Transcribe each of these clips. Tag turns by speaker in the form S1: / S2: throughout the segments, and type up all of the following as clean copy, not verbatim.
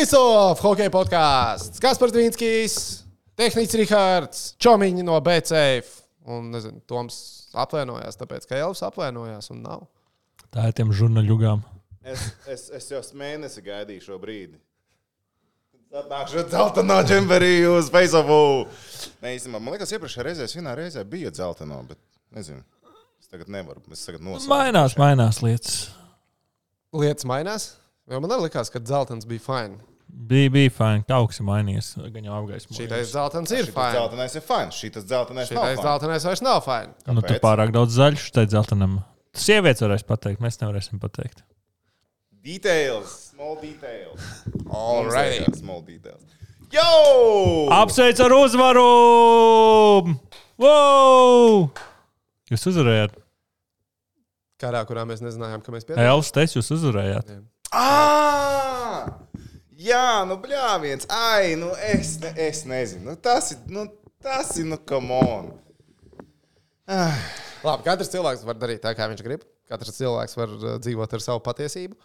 S1: Face-Off, hokeja podkāsts. Kaspars Dvīnskis, tehnicis Rihards, Čomiņi no BCF. Un, nezinu, Toms apvainojās, tāpēc, ka Elvis apvainojās un nav.
S2: Tā ir tiem žurnaļugām.
S3: Es jau mēnesi gaidīju šo brīdi. Atnākšu dzeltenā džemperī uz Face-Offu. Nē, īstenībā, man liekas, iepriekšējā reizē, vienā reizē bija dzeltenā, bet nezinu. Es tagad nevaru. Es tagad nosaucu.
S2: Mainās lietas.
S1: Lietas mainās? Jo man arī likās, ka dzeltens bija fine.
S2: Bija fine. Kaut kas ir mainījies. Gan jau apgaismojies.
S1: Šitais dzeltens ir fine.
S3: Dzeltenais ir fine. Šitais dzeltenais nav fine.
S1: Dzeltenais vairs nav fine.
S2: Nu, tur pārāk daudz zaļš, tai dzeltenam. Sievietes varēs pateikt, mēs nevarēsim pateikt.
S3: Details. Small details.
S1: Alright.
S3: Small details. Yo!
S2: Apsveic ar uzvaru! Wow! Jūs uzvarējāt.
S1: Karā, kurā mēs nezinājām, ka mēs piedalāmies.
S2: Elvis, teicu, jūs uzvarējāt.
S3: Jā, nu bļāviens. Ai, nu es nezinu. Nu tas ir, come on.
S1: Labi, katrs cilvēks var darīt tā, kā viņš grib. Katrs cilvēks var dzīvot ar savu patiesību.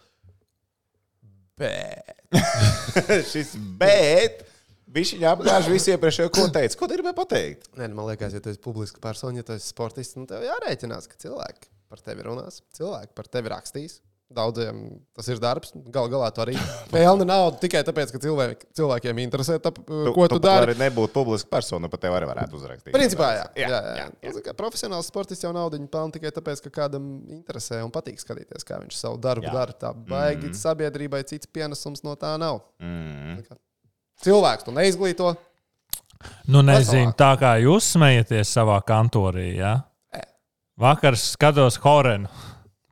S3: Bet viņš viņu apgāž visu iepriekšējo, ko teica. Ko tu gribēji pateikt?
S1: Nē, man liekas, ja tu esi publiska persona, ja tu esi sportists, nu tev jārēķinās, ka cilvēki par tevi runās, cilvēki par tevi rakstīs. Daudziem tas ir darbs. Galā tu arī pelni naudu tikai tāpēc, ka cilvēkiem interesē, ko tu dari.
S3: Tu arī nebūtu publiska persona, pat tev arī varētu uzrakstīt.
S1: Principā, jā. Profesionāls sportists jau naudu pelna tikai tāpēc, ka kādam interesē un patīk skatīties, kā viņš savu darbu dara. Tā baigi sabiedrībai cits pienesums no tā nav. Cilvēks tu neizglīto.
S2: Nu, nezinu, tā kā jūs smejaties savā kantorī, jā? Vakar skatos Horenu.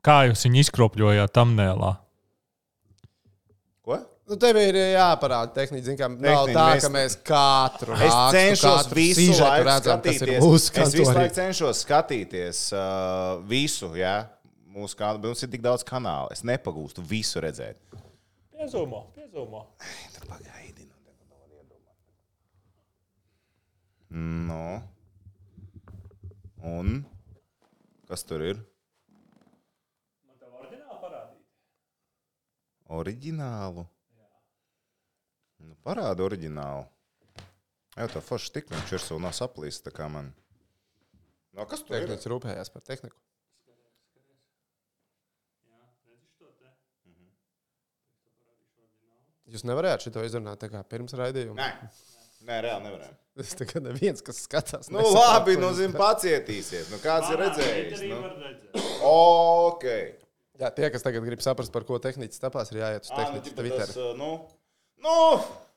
S2: Kā jūs viņu izkropļojāt thumbnailā?
S3: Ko?
S1: Nu, tev ir jāparāda tehniski, kā nav tā, ka mēs katru
S3: rakstu, es cenšos visu laiku
S1: redzam,
S3: skatīties. Es visu laiku cenšos skatīties visu, jā. Mums ir tik daudz kanālu. Es nepagūstu visu redzēt.
S2: Piezūmo.
S3: Tad pagaidi. No. Un? Kas tur ir? Oriģinālu? Nu, parāda oriģinālu. Jā, tā forša stikliņš ir savu nav saplīst, tā kā man. No, kas tur ir?
S1: Tehnicis rūpējās par tehniku. Jūs nevarējāt šito izrunāt tā kā pirms raidījuma?
S3: Nē, reāli nevarējām.
S1: Tas tā kā neviens, kas skatās.
S3: Nu, labi, pacietīsiet. Nu, kāds ir redzējis? Okei.
S1: Jā, tie, kas tagad grib saprast, par ko tehnicis tapās, ir jāiet uz tehnicis Twitter.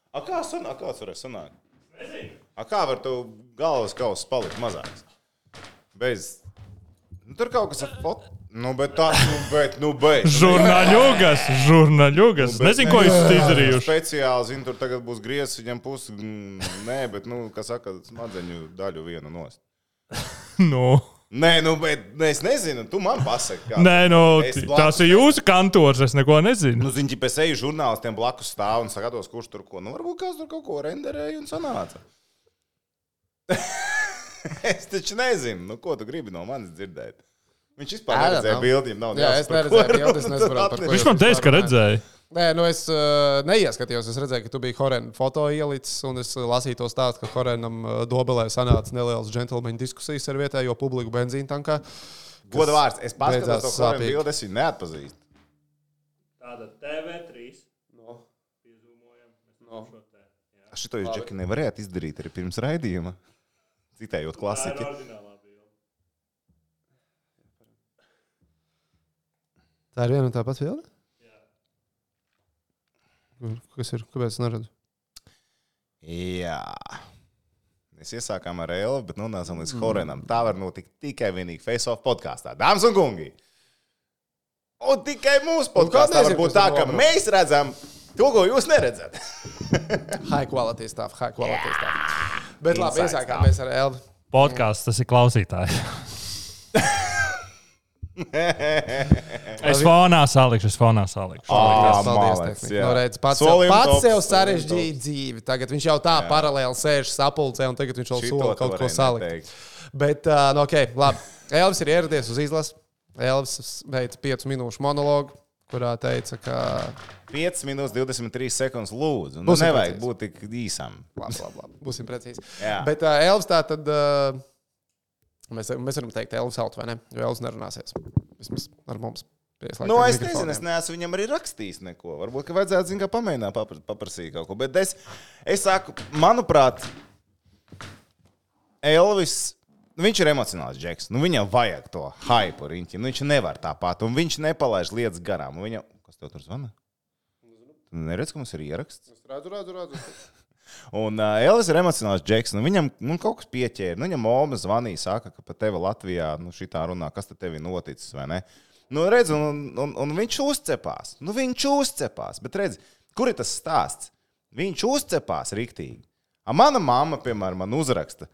S1: Kāds varēs sanākt? Kā var tu galvas kausas palikt mazāks? Tur kaut kas ar foto.
S2: Žurnaļugas. Nezinu, ko jūs izdarījuši.
S3: Speciāli, zinu, tur tagad būs griezs, viņam pusi. Nē, bet, kā saka, smadzeņu daļu vienu nost. Nē, bet es nezinu, tu man pasaki.
S2: Nē, tās ir jūsu kantors, es neko nezinu.
S3: Nu, zini, pēc eju žurnālistiem blakus stāv un skatos, kurš tur ko. Nu, varbūt kāds tur kaut ko renderēja un sanāca. Es taču nezinu, nu, ko tu gribi no manis dzirdēt. Viņš vispār neredzēja bildi, nav
S1: jā, es neredzēju bildi, es nesaprotu, par ko.
S2: Viņš man teica, ka redzēja.
S1: Nē, es neieskatījos. Es redzēju, ka tu biji Horena foto ielicis, un es lasīju to stāstu, ka Horenam Dobelē sanāca nelielas džentlmeņu diskusijas ar vietējo publiku benzīna tankā.
S3: Goda vārds, es paskatos to Horena bildi, es viņu neatpazīstu.
S2: Tāda TV3. Piezūmojam.
S3: Šito jūs, Džeki, nevarētu izdarīt arī pirms raidījuma, citējot klasiķi.
S1: Tā ir viena un tā pats bilde? Kas ir? Kāpēc es neredzu?
S3: Jā. Mēs iesākām ar Elvu, bet nonācām līdz Horenam. Tā var notikt tikai vienīgi Face-Off podkāstā. Dāmas un kungi! Un tikai mūsu podkāstā var būt tā, ka mēs redzam to, ko jūs neredzat.
S1: High quality stuff. Bet labi, iesākām mēs ar Elvu.
S2: Podkāsts, tas ir klausītāji. Es fonā salikšu.
S1: Paldies, tehnika. Pats sev sarežģīja dzīvi. Tagad viņš jau tā paralēli sēž sapulcē, un tagad viņš vēl sola kaut ko salikt. Bet, labi. Elvis ir ieradies uz izlasi. Elvis veica 5 minūšu monologu. kurā teica, ka
S3: 5 minūtes 23 sekundes lūdzu. Nu, nevajag būt tik īsam.
S1: Labi. Būsim precīzi.
S3: Jā.
S1: Bet Elvis tā tad, mēs varam teikt Elvis out, vai ne? Jo Elvis nerunāsies. Vismaz ar mums.
S3: Nu, es nezinu, es neesmu viņam arī rakstījis neko. Varbūt, ka vajadzētu, zin, kā pamēģināt paprasīt kaut ko. Bet es saku, manuprāt, Elvis, viņš ir emocionāls džeks. Nu, viņam vajag to hype riņķi. Nu, viņš nevar tāpat. Un viņš nepalaiž lietas garām. Viņam... Kas tev tur zvana? Tu neredz, ka mums ir ieraksts?
S1: Es redzu.
S3: Un Elvis ir emocionāls džeks. Nu, viņam kaut kas pieķēra. Nu, viņam Oma zvanīja, saka, ka pa tevi Latvijā šitā runā, kas te tevi noticis, vai ne? Nu, redz, un viņš uzcepās. Nu, viņš uzcepās. Bet redz, kur ir tas stāsts? Viņš uzcepās riktīgi. Mana mamma, piemēram, man uzraksta.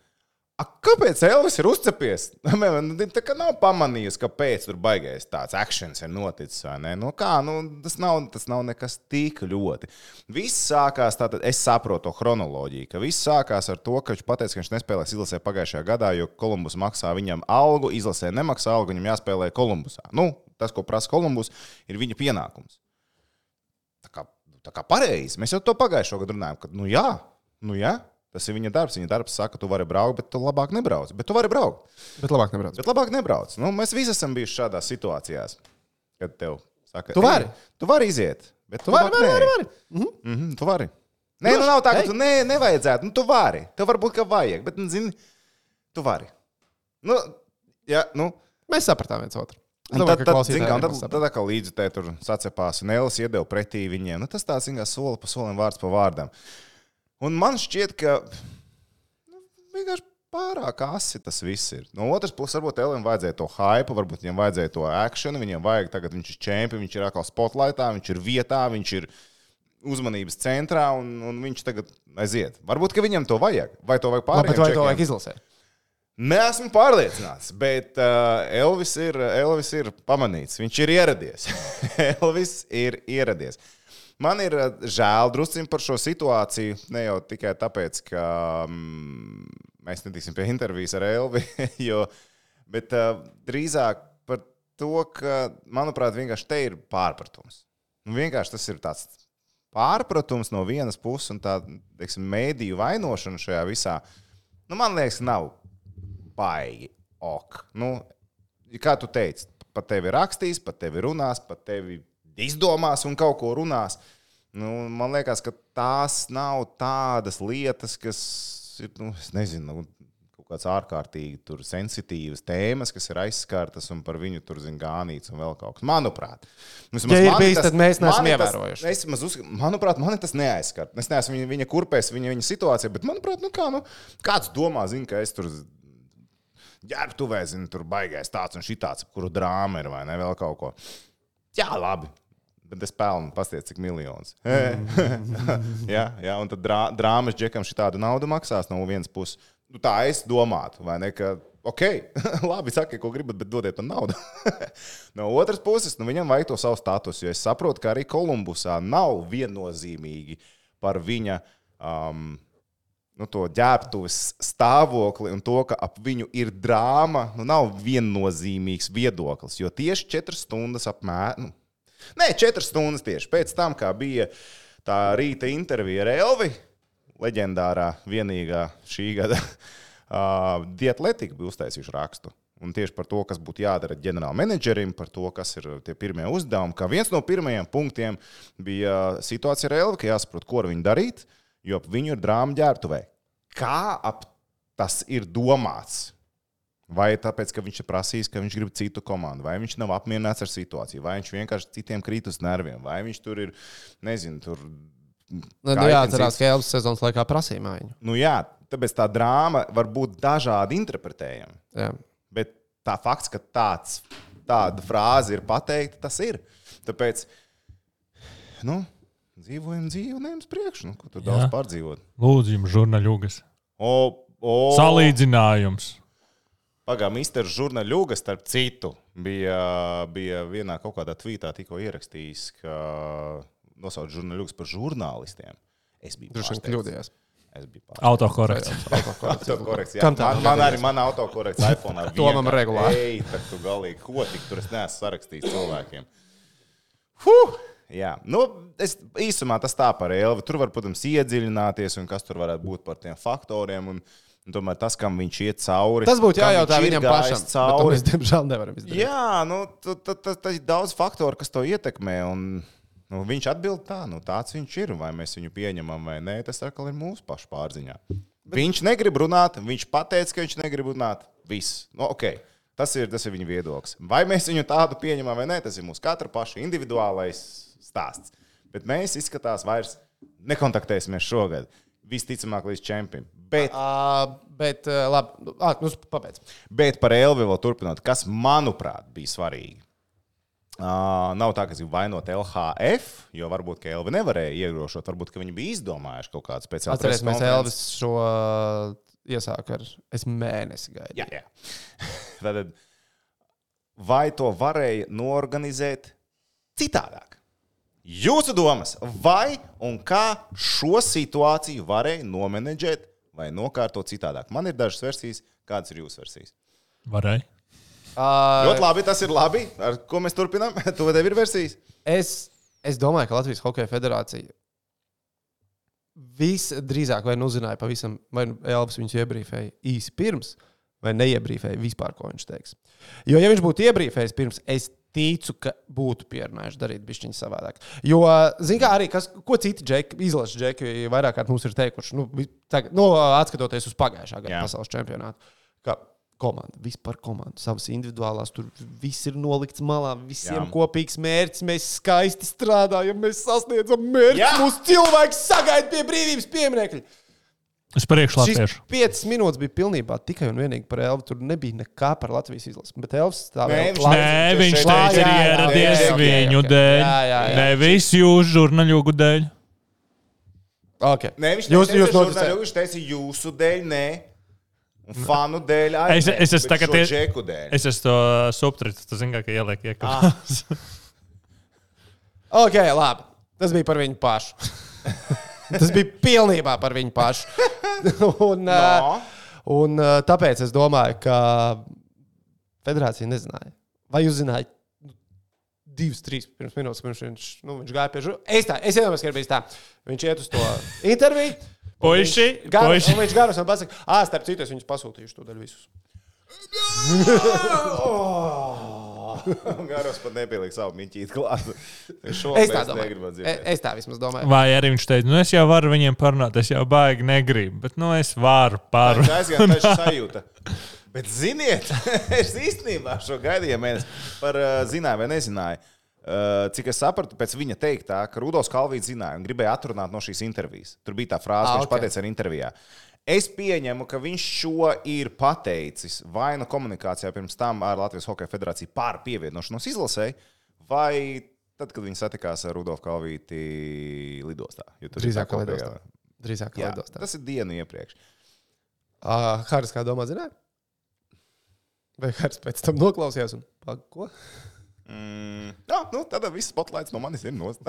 S3: Kāpēc Elvis ir uzcepies? Tā kā nav pamanījusi, kāpēc tur baigais tāds actions ir noticis, vai ne? Nu, kā, tas nav nekas tik ļoti. Viss sākās, tātad es saprotu to chronoloģiju, ka viss sākās ar to, ka viņš pateica, ka viņš nespēlēs izlasē pagājušajā gadā, jo Kolumbus maksā viņam algu, izlasē nemaksā algu, viņam jāspēlē Kolumbusā. Nu, tas, ko prasa Kolumbus, ir viņa pienākums. Tā kā pareizi. Mēs jau to pagājušo gadu runājam, ka nu jā. Tas ir viņa darbs. Viņa darbs saka, tu vari braukt, bet tu labāk nebrauc. Bet tu vari braukt.
S1: Bet labāk nebrauc.
S3: Nu, mēs visi esam bijuši šādās situācijās, kad tev saka,
S1: tu vari.
S3: Tu vari iziet. Bet tu
S1: vari.
S3: Tu vari. Nē, nu nav tā, ka tu nevajadzētu. Nu, tu vari. Tev varbūt, ka vajag. Bet, zini, tu vari. Nu, jā, nu.
S1: Mēs sapratām viens otru.
S3: Tad kā līdzutē tur sacepās un Elvis iedeva pretī viņiem. Nu, tas tāds, zin, kā soli pa solim, vārds pa vārdam. Un man šķiet, ka vienkārši pārāk asi tas viss ir. No otras puses, varbūt Elvim vajadzēja to hype, varbūt viņam vajadzēja to actionu, viņam vajag tagad, viņš ir čempions, viņš ir atkal spotlightā, viņš ir vietā, viņš ir uzmanības centrā un viņš tagad aiziet. Varbūt, ka viņam to vajag. Vai to vajag pārējiem
S1: čekiem? Vai to vajag izlasēt?
S3: Neesmu pārliecināts, bet Elvis ir pamanīts. Viņš ir ieradies. Elvis ir ieradies. Man ir žēl drusciņ par šo situāciju, ne jau tikai tāpēc, ka mēs netiksim pie intervijas ar Elvi, bet drīzāk par to, ka, manuprāt, vienkārši te ir pārpratums. Vienkārši tas ir tāds pārpratums no vienas puses un tā, teiksim, mēdīju vainošana šajā visā, man liekas, nav baigi ok. Kā tu teici, pat tevi rakstīs, pat tevi runās, pat tevi izdomās un kaut ko runās. Man liekas, ka tās nav tādas lietas, kas ir, es nezinu, kaut kāds ārkārtīgi tur sensitīvas tēmas, kas ir aizskartas un par viņu tur gānīts un vēl kaut kas. Manuprāt.
S1: Ja ir bijis, tad mēs neesam ievērojuši.
S3: Manuprāt, mani tas neaizskart. Es neesmu viņa kurpēs, viņa situācija, bet manuprāt, kāds domā, ka es tur ģērbtuvē, tur baigais tāds un šitāds, kuru drāma ir vai ne, vēl kaut ko. Jā, labi. Bet es pelnu, pastiet, cik miljonus. jā, un tad drāmas džekam šitādu naudu maksās no vienas puses. Tā es domātu, vai ne, ka, labi, sakiet, ko gribat, bet dodiet man naudu. No otras puses, viņam vajag to savu statusu, jo es saprotu, ka arī Kolumbusā nav viennozīmīgi par viņa to ģērbtuves stāvokli un to, ka ap viņu ir drāma, nav viennozīmīgs viedoklis, jo tieši 4 stundas apmēram, 4 stundas tieši pēc tam, kā bija tā rīta intervija ar Elvi, leģendārā vienīgā šī gada The Athletic bija uztaisījuši rakstu. Un tieši par to, kas būtu jādara ģenerāla menedžerim, par to, kas ir tie pirmie uzdevumi. Kā viens no pirmajiem punktiem bija situācija ar Elvi, ka jāsaprot, ko ar viņu darīt, jo ap viņu ir drāma ģērbtuvē. Kā ap tas ir domāts? Vai tāpēc, ka viņš ir prasījis, ka viņš grib citu komandu, vai viņš nav apmierināts ar situāciju, vai viņš vienkārši citiem krīt uz nerviem, vai viņš tur ir, nezinu, tur...
S1: jāatcerās, ka Elvis sezonas laikā prasīja mājiņu.
S3: Jā, tāpēc tā drāma var būt dažādi interpretējama.
S1: Jā.
S3: Bet tā fakts, ka tāda frāze ir pateikta, tas ir. Tāpēc, dzīvojam dzīvi un ejam uz priekšu. Ko tur daudz pārdzīvot?
S2: Lūdzu, jums žurnaļugas. Salīdzinājums.
S3: Mister Žurnaļugas, starp citu, bija vienā kaut kādā tvītā tikko ierakstījis, ka nosauc žurnaļugas par žurnālistiem. Es biju
S1: kļūdījās.
S2: Autokorekts.
S3: Man arī mana autokorekts iPhone.
S1: To man regulāri.
S3: Ej, tad tu galīgi, ko tik tur es neesmu sarakstījis cilvēkiem. Jā, nu, īsumā tas tā par Elvi. Tur var, protams, iedziļināties un kas tur varētu būt par tiem faktoriem. Un tomēr tas, kam viņš iet cauri.
S1: Tas būtu jājautā viņam pašam.
S3: Cauri.
S1: Mēs, diemžēl, nevaram izdarīt.
S3: Jā, nu, tas ir daudz faktoru, kas to ietekmē. Un, nu, viņš atbild tā, nu, tāds viņš ir. Vai mēs viņu pieņemam vai nē, tas atkal ir mūsu pašu pārziņā. Viņš negrib runāt, viņš pateica, ka viņš negrib runāt. Viss. Nu, okay. Tas ir viņa viedoklis. Vai mēs viņu tādu pieņemam vai nē, tas ir mūsu katra paša individuālais stāsts. Bet mēs izskatās vairs nekontaktēsimies šogad. Visticamāk līdz čempim. Bet
S1: labi, nu, papēc.
S3: Bet par Elvi vēl turpinot, kas, manuprāt, bija svarīgi. Nav tā, ka es gribu vainot LHF, jo varbūt, ka Elvi nevarēja iegrošot, varbūt, ka viņi bija izdomājuši kaut kādu speciālu
S1: preses konferenci. Atcerēsimies, Elvis šo iesāku ar mēnesi gaidu.
S3: Jā. Tad, vai to varēja noorganizēt citādāk? Jūsu domas, vai un kā šo situāciju varēja nomenedžēt vai nokārtot citādāk? Man ir dažas versijas, kādas ir jūsu versijas?
S2: Varēja.
S3: Ļoti labi, tas ir labi. Ar ko mēs turpinām? Tu tev ir versijas?
S1: Es domāju, ka Latvijas Hokeja federācija visdrīzāk vai nu uzzināja pavisam, vai Elvis viņus iebrīfēja īsi pirms, vai neiebrīfēja vispār, ko viņš teiks. Jo, ja viņš būtu iebrīfējis pirms, es ticu, ka būtu pierunājuši darīt bišķiņu savādāk. Jo, zin kā arī, ko citi izlases džeki vairāk kārt mums ir teikuši, atskatoties uz pagājušā gada pasaules čempionātu, ka vispār komanda, savas individuālās, tur viss ir nolikts malā, visiem kopīgs mērķis, mēs skaisti strādājam, mēs sasniedzam mērķis, mūsu cilvēks sagaida pie brīvības pieminekļa.
S2: Es priekšlatviešu.
S1: Šis 5 minūtes bija pilnībā tikai un vienīgi par Elvi, tur nebija nekā par Latvijas izlasi, bet Elvis stāvēja.
S2: Nē, viņš teica, ir ieradies viņu dēļ. Nevis jūs žurnāļogu dēļ.
S1: Okay.
S3: Nē, viņš teica jūsu dēļ, nē. Un fanu dēļ,
S2: es esmu
S3: tagad džeku dēļ.
S2: Es esmu to subtritu, tu zini, ka ieliek iekļūt.
S1: Ok, labi. Tas bija par viņu pašu. Tas bija pilnībā par viņu pašu. un tāpēc es domāju, ka federācija nezināja. Vai jūs zinājāt 2-3 minūtes, pirms viņš gāja pie žurnālista? Es iedomājos, ka ir bijis tā. Viņš iet uz to interviju.
S2: Puiši.
S1: Un viņš garos un pasaka, starp citu, es viņus pasūtījuši to daļu visus.
S3: Garos pat nepieliek savu miņķīti klāt.
S1: Es tā vismaz domāju.
S2: Vai arī viņš teica, es jau varu viņiem parunāt, es jau baigi negribu, bet es varu parunāt.
S3: Tā aizgāja taču sajūta. Bet ziniet, es īstenībā šo gaidīju mēnesi par zināju vai nezināju. Cik es sapratu, pēc viņa teiktā, ka Rudolfs Kalvīts zināja un gribēja atrunāt no šīs intervijas. Tur bija tā frāze, ka viņš pateica ar intervijā. Es pieņemu, ka viņš šo ir pateicis vai nu komunikācijā pirms tam ar Latvijas Hokeja federāciju par pievienošanos izlasēji, vai tad, kad viņi satikās ar Rudolfu Kalvīti lidostā.
S1: Drīzāk lidostā.
S3: Tas ir dienu iepriekš.
S1: Haris, kā domā, zināja? Vai Haris pēc tam noklausījās un ko?
S3: Tad viss spotlights no manis ir nost.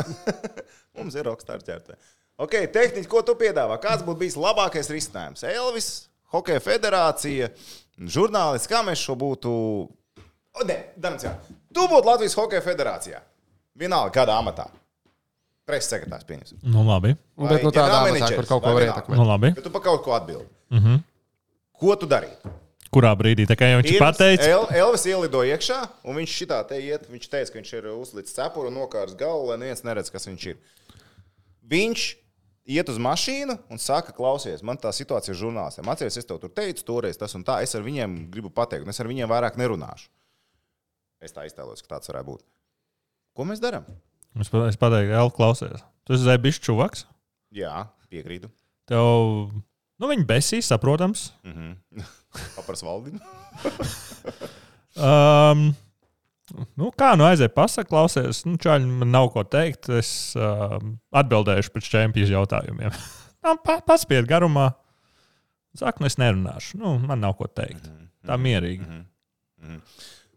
S3: Mums ir rockstar ķertē. Ok, tehniski, ko tu piedāvā? Kāds būtu bijis labākais risinājums? Elvis, Hokeja federācija, žurnālisti, kā mēs šo būtu... Tu būtu Latvijas Hokeja federācijā. Vienalga, kādā amatā. Preses sekretārs pieņems.
S2: Nu, labi.
S1: Bet tādā amatā, kur kaut ko var ietekmēt.
S2: Nu, labi.
S3: Bet tu pa kaut ko atbildi. Ko tu darītu?
S2: Kurā brīdī? Tā kā jau viņš pateica.
S3: Elvis ielidoja iekšā, un viņš šitā te iet. Viņš teica, ka viņš ir uzlicis cepuru un nokārs galvu, lai neviens neredz, kas viņš ir. Viņš iet uz mašīnu un saka, klausies, man tā situācija ir žurnālistiem. Atceries, es tev tur teicu, toreiz tas un tā. Es ar viņiem gribu pateikt, un es ar viņiem vairāk nerunāšu. Es tā iztēlos, ka tāds varētu būt. Ko mēs darām?
S2: Es pateiktu, Elvi, klausies. Tu esi zēbišķi čuvaks?
S3: Jā, piekrītu.
S2: Tev, viņi besīs, saprotams.
S3: Papars Valdinu.
S2: Kā aizēja pasaka, klausies, čaļi, man nav ko teikt. Es atbildēšu pēc čempionu jautājumiem. Paspied garumā. Saku, es nerunāšu. Man nav ko teikt. Tā mierīgi.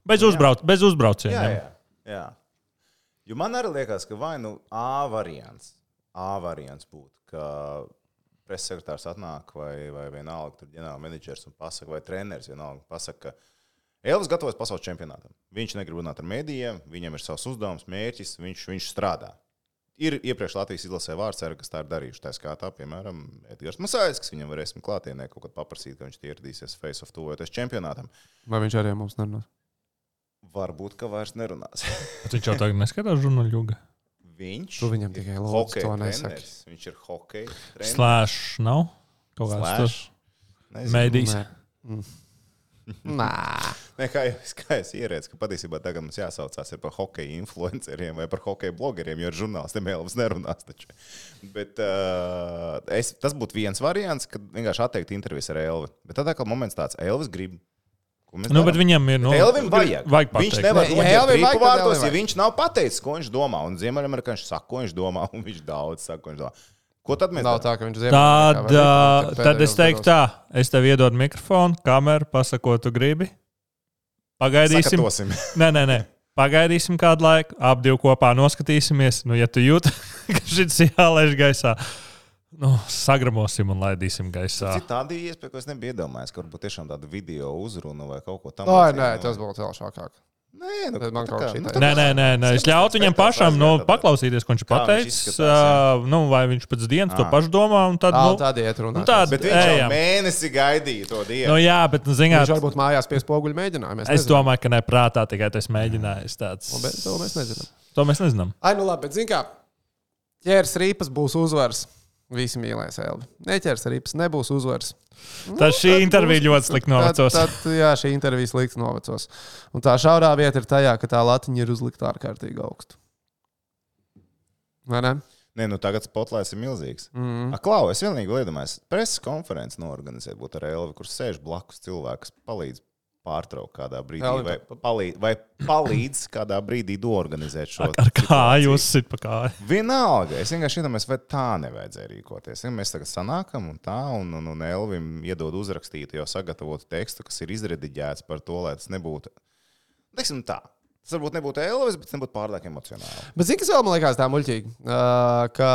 S2: Bez uzbraucieniem.
S3: Jā. Jo man arī liekas, ka vai nu A variants būtu, ka preses sekretārs atnāk vai vienalga tur ģenerāla menedžers un pasaka, vai treneris vienalga pasaka, ka Elvis gatavojas pasaules čempionātam. Viņš negrib runāt ar mēdījiem, viņam ir savs uzdevums, mērķis, viņš strādā. Ir iepriekš Latvijas izlasē vārdsēra, kas tā ir darījuši. Tā skaitā, piemēram, Edgars Masājs, kas viņam varēs klātienē kaut kad paprasīt, ka viņš ieradīsies Face of tuvojoties čempionātam.
S1: Vai viņš arī mums nerunās?
S3: Varbūt, ka vairs nerunās.
S2: Viņš jau tagad neskatās žurnāļuga.
S3: Viņš
S1: Tu viņam tikai lūdzu to nesaki.
S3: Viņš ir hokeja treneris.
S2: Slash nav? Kaut kāds tur. Mēdīs.
S1: Nē.
S3: Ne, kā es ierēdzu, ka patiesībā tagad mums jāsaucās par hokeja influenceriem vai par hokeja blogeriem, jo ar žurnālistiem Elvis nerunās taču. Bet tas būtu viens variants, kad vienkārši atteikt intervijas ar Elvi. Bet tad atkal moments tāds, Elvis grib.
S2: Nu, bet viņam ir,
S3: Elvim vajag
S2: pateikt.
S3: Viņš nevar noķert rīpu vārtos, ja viņš nav pateicis, ko viņš domā. Un Ziemeļamerikāņš saka, ko viņš domā, un viņš daudz saka, ko viņš domā. Ko tad mēs
S1: Nav tā, ka viņš Ziemeļamerikā.
S2: Tad es teiktu tā, es tev iedodu mikrofonu, kameru, pasaku, ko tu gribi. Pagaidīsim.
S3: Sakatosim.
S2: Nē. Pagaidīsim kādu laiku, ap divu kopā noskatīsimies. Nu, ja tu jūti, ka šis jālaiž gaisā, sagramosim un laidīsim gaisā.
S3: Cik tāda iespēja, ko es nebiju iedomājies, ka varbūt tiešām tādu video uzrunu vai kaut ko tam.
S1: Nē, tas būtu vēl šākāk.
S3: Nē,
S1: man kaut kā šī
S2: Nē. Es ļautu viņam pašam paklausīties, ko viņš pateicis. Vai viņš pēc dienas to pašu domā. Tad
S1: iet runāt.
S3: Bet viņš jau mēnesi gaidīja to dienu.
S2: Jā, bet, zināt,
S1: viņš varbūt mājās pie spoguļu mēģinājumu.
S2: Es domāju, ka ne prātā tikai tas mēģinājis tāds.
S1: Bet to mēs nezinām.
S2: To mēs nezinām.
S1: Ai, nu labi, bet zin kā, ķērs rīpas būs uzvars. Visi mīlēs Elvi. Neķers rīpas, nebūs uzvars.
S2: Tad šī intervija ļoti slikti novecos.
S1: Jā, šī intervija slikti novecos. Un tā šaurā vieta ir tajā, ka tā latiņa ir uzlikta ārkārtīgi augstu. Vai ne?
S3: Nē, tagad spotlights ir milzīgs. Klau, es vienīgi iedomājos, preses konferenci noorganizēt būtu ar Elvi, kur sēž blakus cilvēks, palīdz pārtraukt kādā brīdī, vai palīdz kādā brīdī doorganizēt šo
S2: ar kāju uzsit pa kāju.
S3: Vienalga, es vienkārši iedomājos, vai tā nevajadzēja rīkoties. Ja mēs tagad sanākam un Elvim iedod uzrakstītu jau sagatavotu tekstu, kas ir izrediģēts par to, lai tas nebūtu, teiksim tā, tas varbūt nebūtu Elvis, bet tas nebūtu pārliek emocionāli.
S1: Bet zini, kas vēl man liekas tā muļķīgi, ka,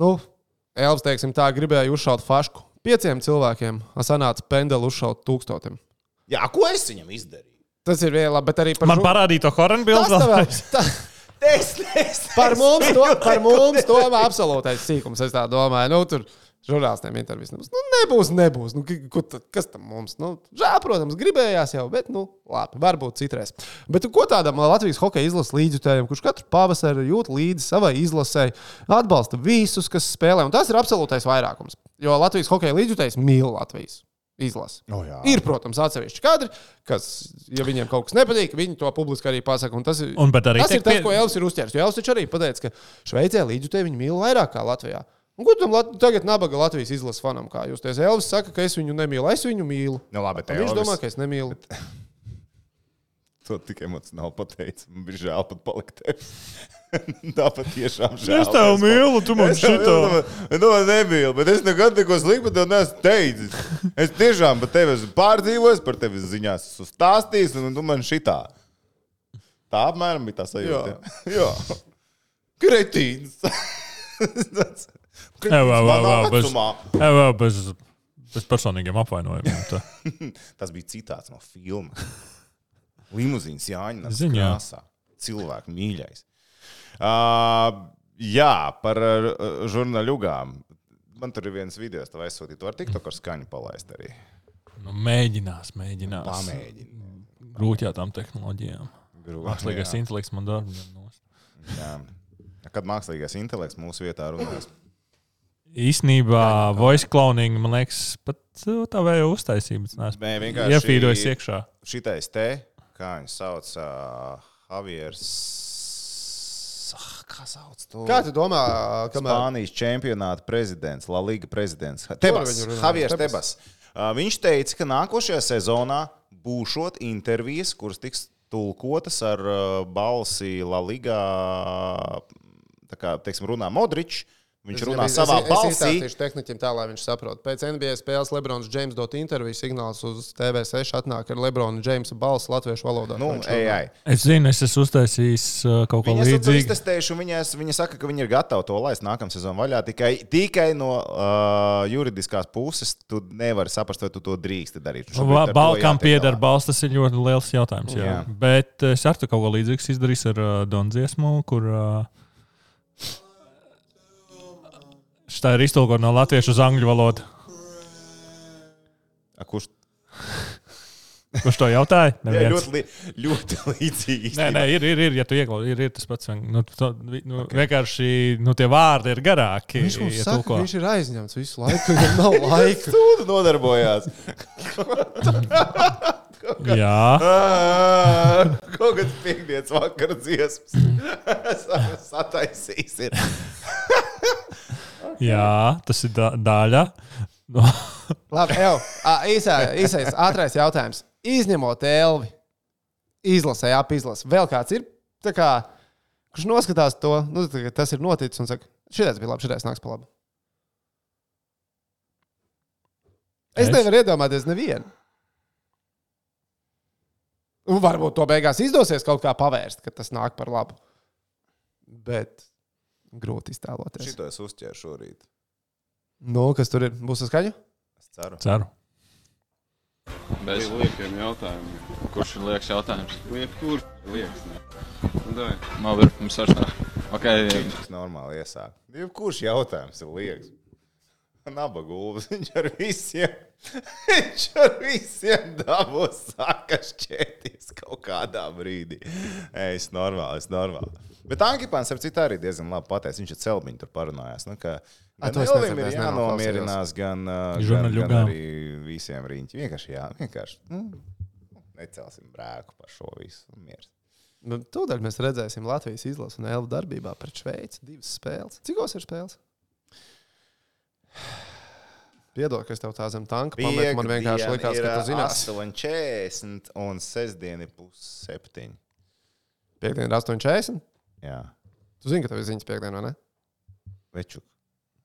S1: Elvis, teiksim tā, gribēja uzšaut fašku 5 cilvēkiem, sanāca pendeli uzšaut 1000.
S3: Jā, ko es viņam izdarīju?
S1: Tas ir viegli, bet arī par
S2: man parādīja to Horenbildu.
S1: Par mums to absolūtais sīkums, es tā domāju. Tur žurnālistiem intervijas nebūs. Nebūs. Kas tam mums? Žēl, protams, gribējās jau, bet labi, varbūt citreiz. Bet ko tādam Latvijas hokeja izlases līdzjutējiem, kurš katru pavasari jūt līdzi savai izlasei, atbalsta visus, kas spēlē, un tas ir absolūtais vairākums. Jo Latvijas hokeja līdzjutējs mīl Latvijas izlasi. Ir, protams, atsevišķi kadri, kas, ja viņiem kaut kas nepatīk, viņi to publiski arī pasaka. Tas ir tas, ko Elvis ir uzķēris. Jo Elvis taču arī pateica, ka Šveicē līdzjutēji viņi mīl vairāk kā Latvijā. Un ko tam tagad nabaga Latvijas izlases fanam kā justies? Elvis saka, ka es viņu nemīlu, es viņu mīlu.
S3: Labi,
S1: viņš domā, ka es nemīlu.
S3: To tik emocionāli pateicu. Man bija žēl pat palikt tevi. Tāpat tiešām žēl.
S2: Es tev mīlu, tu man šito.
S3: Nu, nemīlu, bet es nekad neko sliktu tev neesmu teicis. Es tiešām par tevi esmu pārdzīvojis, par tevi ziņās esmu stāstījis, un tu man šitā. Tā apmēram bija tā sajūta. Jā. Kretīns.
S2: Bez personīgiem apvainojumiem.
S3: Tas bija citāts no filma. Limuzīns Jāņas krāsā. Cilvēku mīļais. Jā, par žurnāļugām. Man tur ir viens video, tev aizsūtīt. Tu vari TikTok ar skaņu palaist arī.
S2: Mēģinās.
S3: Pamēģini.
S2: Grūti jau tām tehnoloģijām. Mākslīgais intelekts man darbu.
S3: Jā. Kad mākslīgais intelekts mūsu vietā runās?
S2: Īsnībā voice cloning, man liekas, pat tā vēja uztaisības. Iefīdojas iekšā.
S3: Šitais te, kā viņš sauc, Javiers. Kā sauc to?
S1: Kā tu domā,
S3: Spānijas čempionāta prezidents, La Liga prezidents. Javiers Tebas. Viņš teica, ka nākošajā sezonā būšot intervijas, kuras tiks tulkotas ar balsi La Liga, tā kā, teiksim, runā Modričs, Viņš runā savā balsī.
S1: Es izstāstīšu tehniķim tā, lai viņš saprot. Pēc NBA spēles Lebrons Džeims dot interviju signāls uz TV6 atnāk ar Lebrona Džeimsa balsi latviešu valodā.
S2: Es zinu, es esmu uztaisījis kaut ko līdzīgu.
S3: Viņi esmu iztestējuši, un viņi saka, ka viņi ir gatavi to laist nākamā sezonu vaļā. Tikai no juridiskās puses tu nevari saprast, vai tu to drīksti darīt.
S2: Balkām pieder balss, tas ir ļoti liels jautājums. Jā. Bet es ar to kaut ko līdzīgs izdarīju ar Don dziesmu, kur... Tā ir iztulkot no latviešu uz angļu valodu.
S3: Kurš
S2: to jautāja?
S3: Jā, ļoti līdzīgi.
S2: Nē, ir, ja tu ieklausies, ir tas pats. Vienkārši tie vārdi ir garāki.
S1: Viņš mums saka, ka viņš ir aizņemts visu laiku, viņam nav laika.
S3: Stūdu nodarbojās.
S2: Jā.
S3: Kaut kāds piekdienas vakara dziesmas. Sataisīs ir.
S2: Jā, tas ir daļa.
S1: Labi, īsais, ātrais jautājums. Izņemot Elvi, izlasē, apizlasē. Vēl kāds ir, kurš noskatās to, tas ir noticis un saka, šitais bija labi, šitais nāks pa labu. Es nevaru iedomāties nevienu. Un varbūt to beigās izdosies kaut kā pavērst, ka tas nāk par labu. Bet... grūti iztēloties.
S3: Šito es uzķēru šorīt.
S1: Kas tur ir? Būs uz skaņu?
S3: Es ceru.
S4: Bez liekiem jautājumiem. Kurš ir liekas jautājums? Kur liekas? Labi, mums vairs nav. Okay.
S3: Tas normāli iesāk. Kurš jautājums ir liekas? Nabagulvs. Viņš ar visiem dabūs saka šķēties kaut kādā brīdī. Es normāli. Bet Ankipāns ar citu arī diezgan labi pateicis. Viņš ar Celbiņu tur parunājās. Gan Elvim ir jānomierinās, gan arī visiem riņķi. Vienkārši necelsim brēku par šo visu. Mieres.
S1: Tūdaļ mēs redzēsim Latvijas izlasu un Elvu darbībā pret Šveici. 2 spēles. Cikos ir spēles? Piedod, ka es tev tā zem tanka pametu. Man vienkārši likās, ka tu zinās.
S3: 8:40 un sestdieni 6:30.
S1: Piektdien 8:40?
S3: Jā.
S1: Tu zini, ka tev ir ziņas piekdien, vai ne?
S3: Večuk.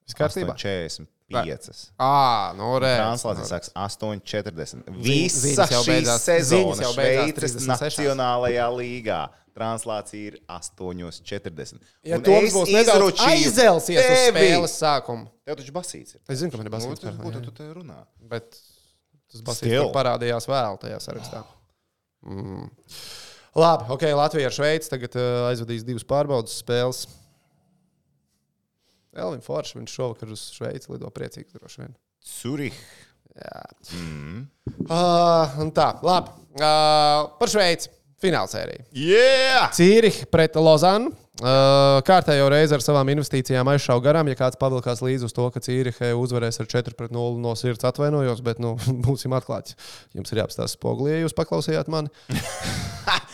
S1: Viss kārtībā?
S3: 8:45.
S1: Translācija
S3: sāks 8:40. Visa šī sezona Šveices Nacionālajā līgā. Translācija ir 8:40.
S1: Ja Toms būs nedaudz aizelsies uz spēles sākumu.
S3: Tev taču basīts ir.
S1: Es zinu, ka man ir basīts.
S3: Ko tu te runā?
S1: Bet tas basīts parādījās vēl tajā sarakstā. Labi, ok, Latvija ar Šveici tagad aizvadīs 2 pārbaudas spēles. Elvim Forš, viņš šovakar uz Šveici lido priecīgs droši vien.
S3: Zurich.
S1: Jā. Un tā, labi. Par Šveici. Finālsērija.
S3: Yeah!
S1: Cīrih pret Lozanu. Kārtējo reizi ar savām investīcijām aizšauja garām. Ja kāds pavilkās līdzi uz to, ka Cīrihe uzvarēs ar 4-0 no sirds, atvainojos, bet būsim atklāti. Jums ir jāapstāsta spogulī, ja jūs paklausījāt mani.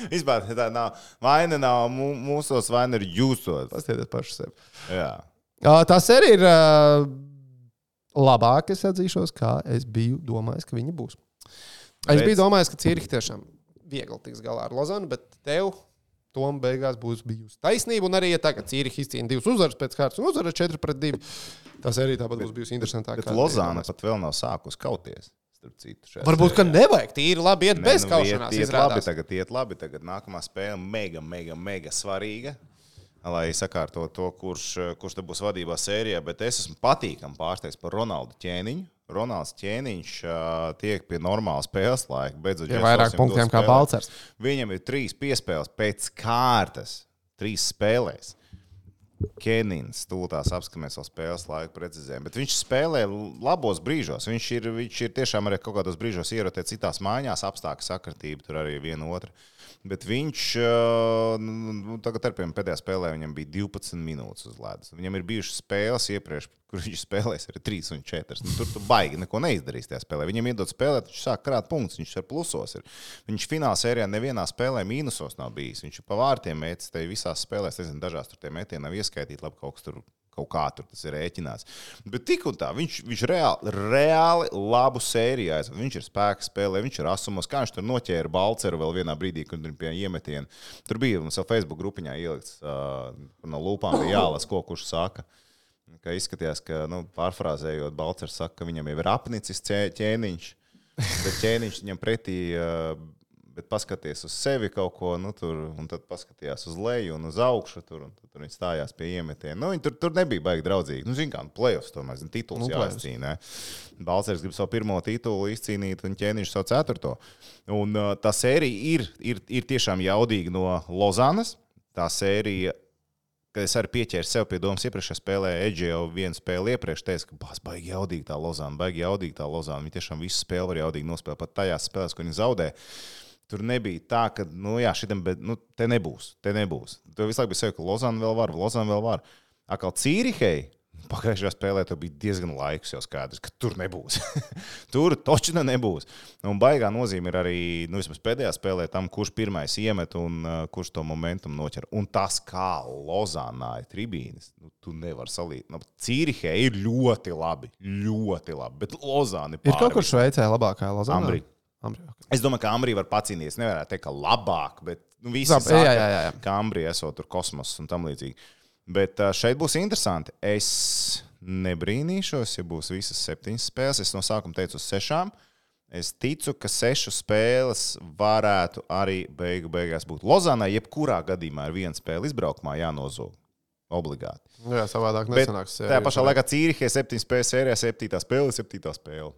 S3: Vispār tā nav. Vaina nav mūsos, vaina ir jūsos.
S1: Pastieties paši sevi.
S3: Jā.
S1: Tas arī ir labāk, es atzīšos, kā es biju domājis, ka viņi būs. Es biju domājis, ka Cīrihe tiešām viegli tiks galā ar Lozanu, bet tev tom beigās būs bijusi taisnība. Un arī, ja tagad Cīrihe izcīna 2 uzvaras pēc kārtas un uzvara 4-2, tas arī tāpat būs bijusi interesantāk.
S3: Bet Lozana pat vēl nav sākus kauties.
S1: Varbūt, ka nevajag tīri labi iet bez kaušanās.
S3: Iet labi, tagad nākamā spēle mega svarīga, lai sakārto to, kurš te būs vadībā sērijā, bet es esmu patīkami pārsteigts par Ronaldu Ķēniņu. Ronalds Ķēniņš tiek pie normāla spēles laika. Beidzot,
S1: vairāk punktiem kā Balcers.
S3: Viņam ir 3 piespēles pēc kārtas. 3 spēlēs. Kenins tūlītās apskatīsimies vēl spēles laiku precizējumu. Bet viņš spēlē labos brīžos. Viņš ir tiešām arī kaut kādos brīžos ierotē citās mājās, apstākļu sakritība, tur arī viena otra. Bet viņš tagad pēdējā spēlē viņam bija 12 minūtes uz ledus. Viņam ir bijušas spēles iepriekš, kur viņš spēlēs ar 3 un 4. Tur tu baigi neko neizdarīs tajā spēlē. Viņam iedod spēlēt, viņš sāk krāt punktus, viņš ar plusos ir. Viņš fināla sērijā nevienā spēlē mīnusos nav bijis. Viņš pa vārtiem mētis, te visās spēlēs, nezinu, dažās tur tie metieni nav ieskaitīti, labi kaut kā tur tas ir rēķināts. Bet tik un tā, viņš reāli labu sēriju aizved. Viņš ir spēka spēlē, viņš ir asumos, kā viņš tur noķēra Balceru vēl vienā brīdī, kad tur pie iemetiena. Tur bija mums jau Facebook grupiņā ielikts no lūpām bija jālas, kurš saka. ka izskatījās, ka, pārfrāzējot, Balcers saka, ka viņam jau ir apnicis ķēniņš, bet ķēniņš viņam pretī, bet paskaties uz sevi kaut ko, tur, un tad paskatījās uz leju un uz augšu, tur viņi stājās pie iemetiena. Viņi tur nebija baigi draudzīgi. Zin kā, play-offs tomēr, tituls jāizcīnē. Balcers grib savu pirmo titulu izcīnīt un ķēniņš savu 4. Un tā sērija ir tiešām jaudīga no Lozanas. Tā sērija, kad es arī pieķēru sev pie domas iepriekšējā spēlē, Edži jau vienu spēli iepriekš teica, ka baigi jaudīga tā Lozana. Viņi tiešām visu spēli var jaudīgi nospēlēt, pat tajās spēlēs, ko viņi zaudē. Tur nebija tā, ka, šitam, bet, te nebūs. Tur visu laiku bija sevi, ka Lozana vēl var. Akal Cīrihei, pagājušajā spēlē, tur bija diezgan laiks jau skaidrs, ka tur nebūs. Tur točina nebūs. Un baigā nozīme ir arī, vismaz pēdējā spēlē tam, kurš pirmais iemet un kurš to momentum noķer. Un tas, kā Lozanā ir tribīnes, tu nevar salīt. Cīrihei ir ļoti labi, bet Lozāna ir pāri.
S1: Ir kaut kur Šveicē labākā Lozāna?
S3: Ambri.
S1: Okay.
S3: Es domāju, ka Ambrī var pacīnīties. Nevarētu teikt, ka labāk, bet visi saka, ka Ambrī esot tur kosmos un tam līdzīgi. Bet šeit būs interesanti. Es nebrīnīšos, ja būs visas 7 spēles. Es no sākuma teicu uz 6. Es ticu, ka 6 spēles varētu arī beigās būt. Lozānai jebkurā gadījumā ir 1 spēle izbraukumā jānozog. Obligāti.
S1: Jā, savādāk nesanāks.
S3: Tajā pašā laikā Cīrihē 7 spēles sērijā, 7. spēle.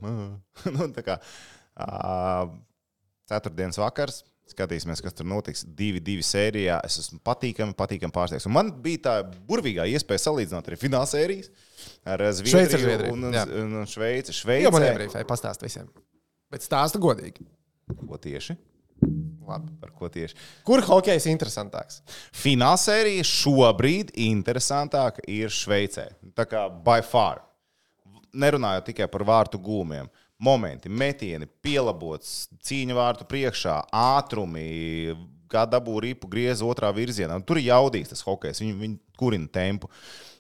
S3: Tā kā 4. vakars. Skatīsimies, kas tur notiks. 2-2 sērijā. Es esmu patīkami pārsteigts. Un man bija tā burvīgā iespēja salīdzināt arī finālsērijas ar Zviedriju un Šveici.
S1: Jā, man iebrīfēja pastāst visiem. Bet stāsta godīgi.
S3: Ko tieši?
S1: Labi.
S3: Par ko tieši?
S1: Kur hokejs interesantāks?
S3: Finālsērija šobrīd interesantāka ir Šveicē. Tā kā by far. Nerunājot tikai par vārtu gūmiem. Momenti, metieni, pielabots, cīņa vārtu priekšā, ātrumi, kā dabū ripu griez otrā virzienā. Tur ir jaudīgs tas hokejs, viņi kurina tempu.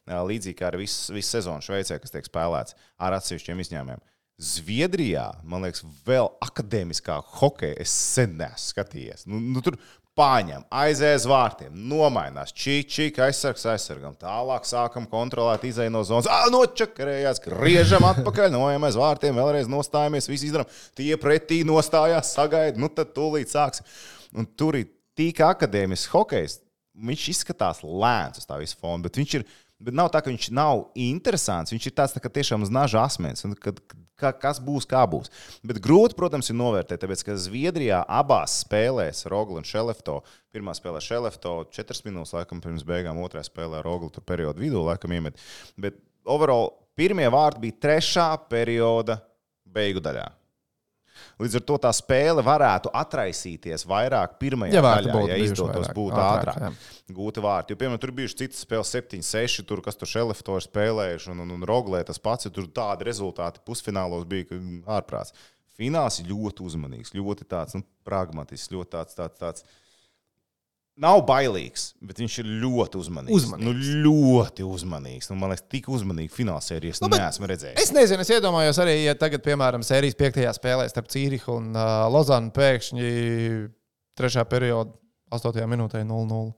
S3: Līdzīgi kā ar visu sezonu Šveicē, kas tiek spēlēts ar atsevišķiem izņēmumiem. Zviedrijā, man liekas, vēl akadēmiskā hokeja es sen neesmu skatījies. Tur paņem, aizies vārtiem, nomainās, čik, aizsargam. Tālāk sākam kontrolēt, izej no zonas, nočakarējās, griežam atpakaļ, noejam aiz vārtiem, vēlreiz nostājamies, visi izdaram, tie pretī nostājās, sagaida, tad tūlīt sāks. Un tur ir tik akadēmisks hokejs, viņš izskatās lēns uz tā visu fonu, bet nav tā, ka viņš nav interesants, viņš ir tāds tā, ka tiešām uz naža asmens, un kas būs, kā būs. Bet grūti, protams, ir novērtēt, tāpēc, ka Zviedrijā abās spēlēs Rogla un Šelefto, pirmā spēlē Šelefto 4 minūtes, laikam pirms beigām, otrā spēlē Rogla tur periodu vidū, laikam iemet. Bet overall, pirmie vārti bija 3. perioda beigu daļā. Līdz ar to tā spēle varētu atraisīties vairāk pirmajā daļā, ja izdotos būt ātrāk. Gūti vārti. Jo, piemēram, tur bijuši citas spēles 7-6, tur, kas tur Šelefto ir spēlējuši, un Roglē tas pats, tur tādi rezultāti pusfinālos bija ārprāts. Fināls ir ļoti uzmanīgs, ļoti tāds, pragmatisks, ļoti tāds. Nav bailīgs, bet viņš ir ļoti uzmanīgs. Ļoti uzmanīgs. Man liekas, tik uzmanīgi finālsērijas neesmu redzējis.
S1: Es nezinu, es iedomājos arī, ja tagad, piemēram, sērijas 5. spēlē starp Cīrihu un Lozanu pēkšņi 3. perioda 8. minūtē 0-0.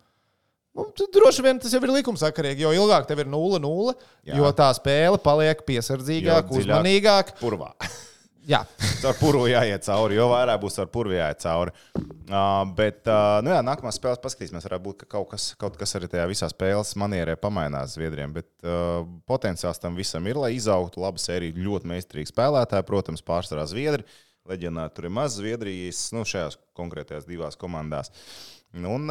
S1: Droši vien tas jau ir likumsakarīgi, jo ilgāk tev ir 0-0, jo tā spēle paliek piesardzīgāk, uzmanīgāk.
S3: Purvā.
S1: Jā.
S3: Caur purvu jāiet cauri, jo vairāk būs caur purvu jāiet cauri. Bet, nākamās spēles paskatīsimies, varētu būt, ka kaut kas arī tajā visā spēles manierē pamainās Zviedriem, bet potenciāls tam visam ir, lai izaugtu laba sērija, ļoti meistarīgi spēlētāji, protams, pārsvarā Zviedri, leģionāri tur ir maz Zviedrijas, šajās konkrētajās 2 komandās. Un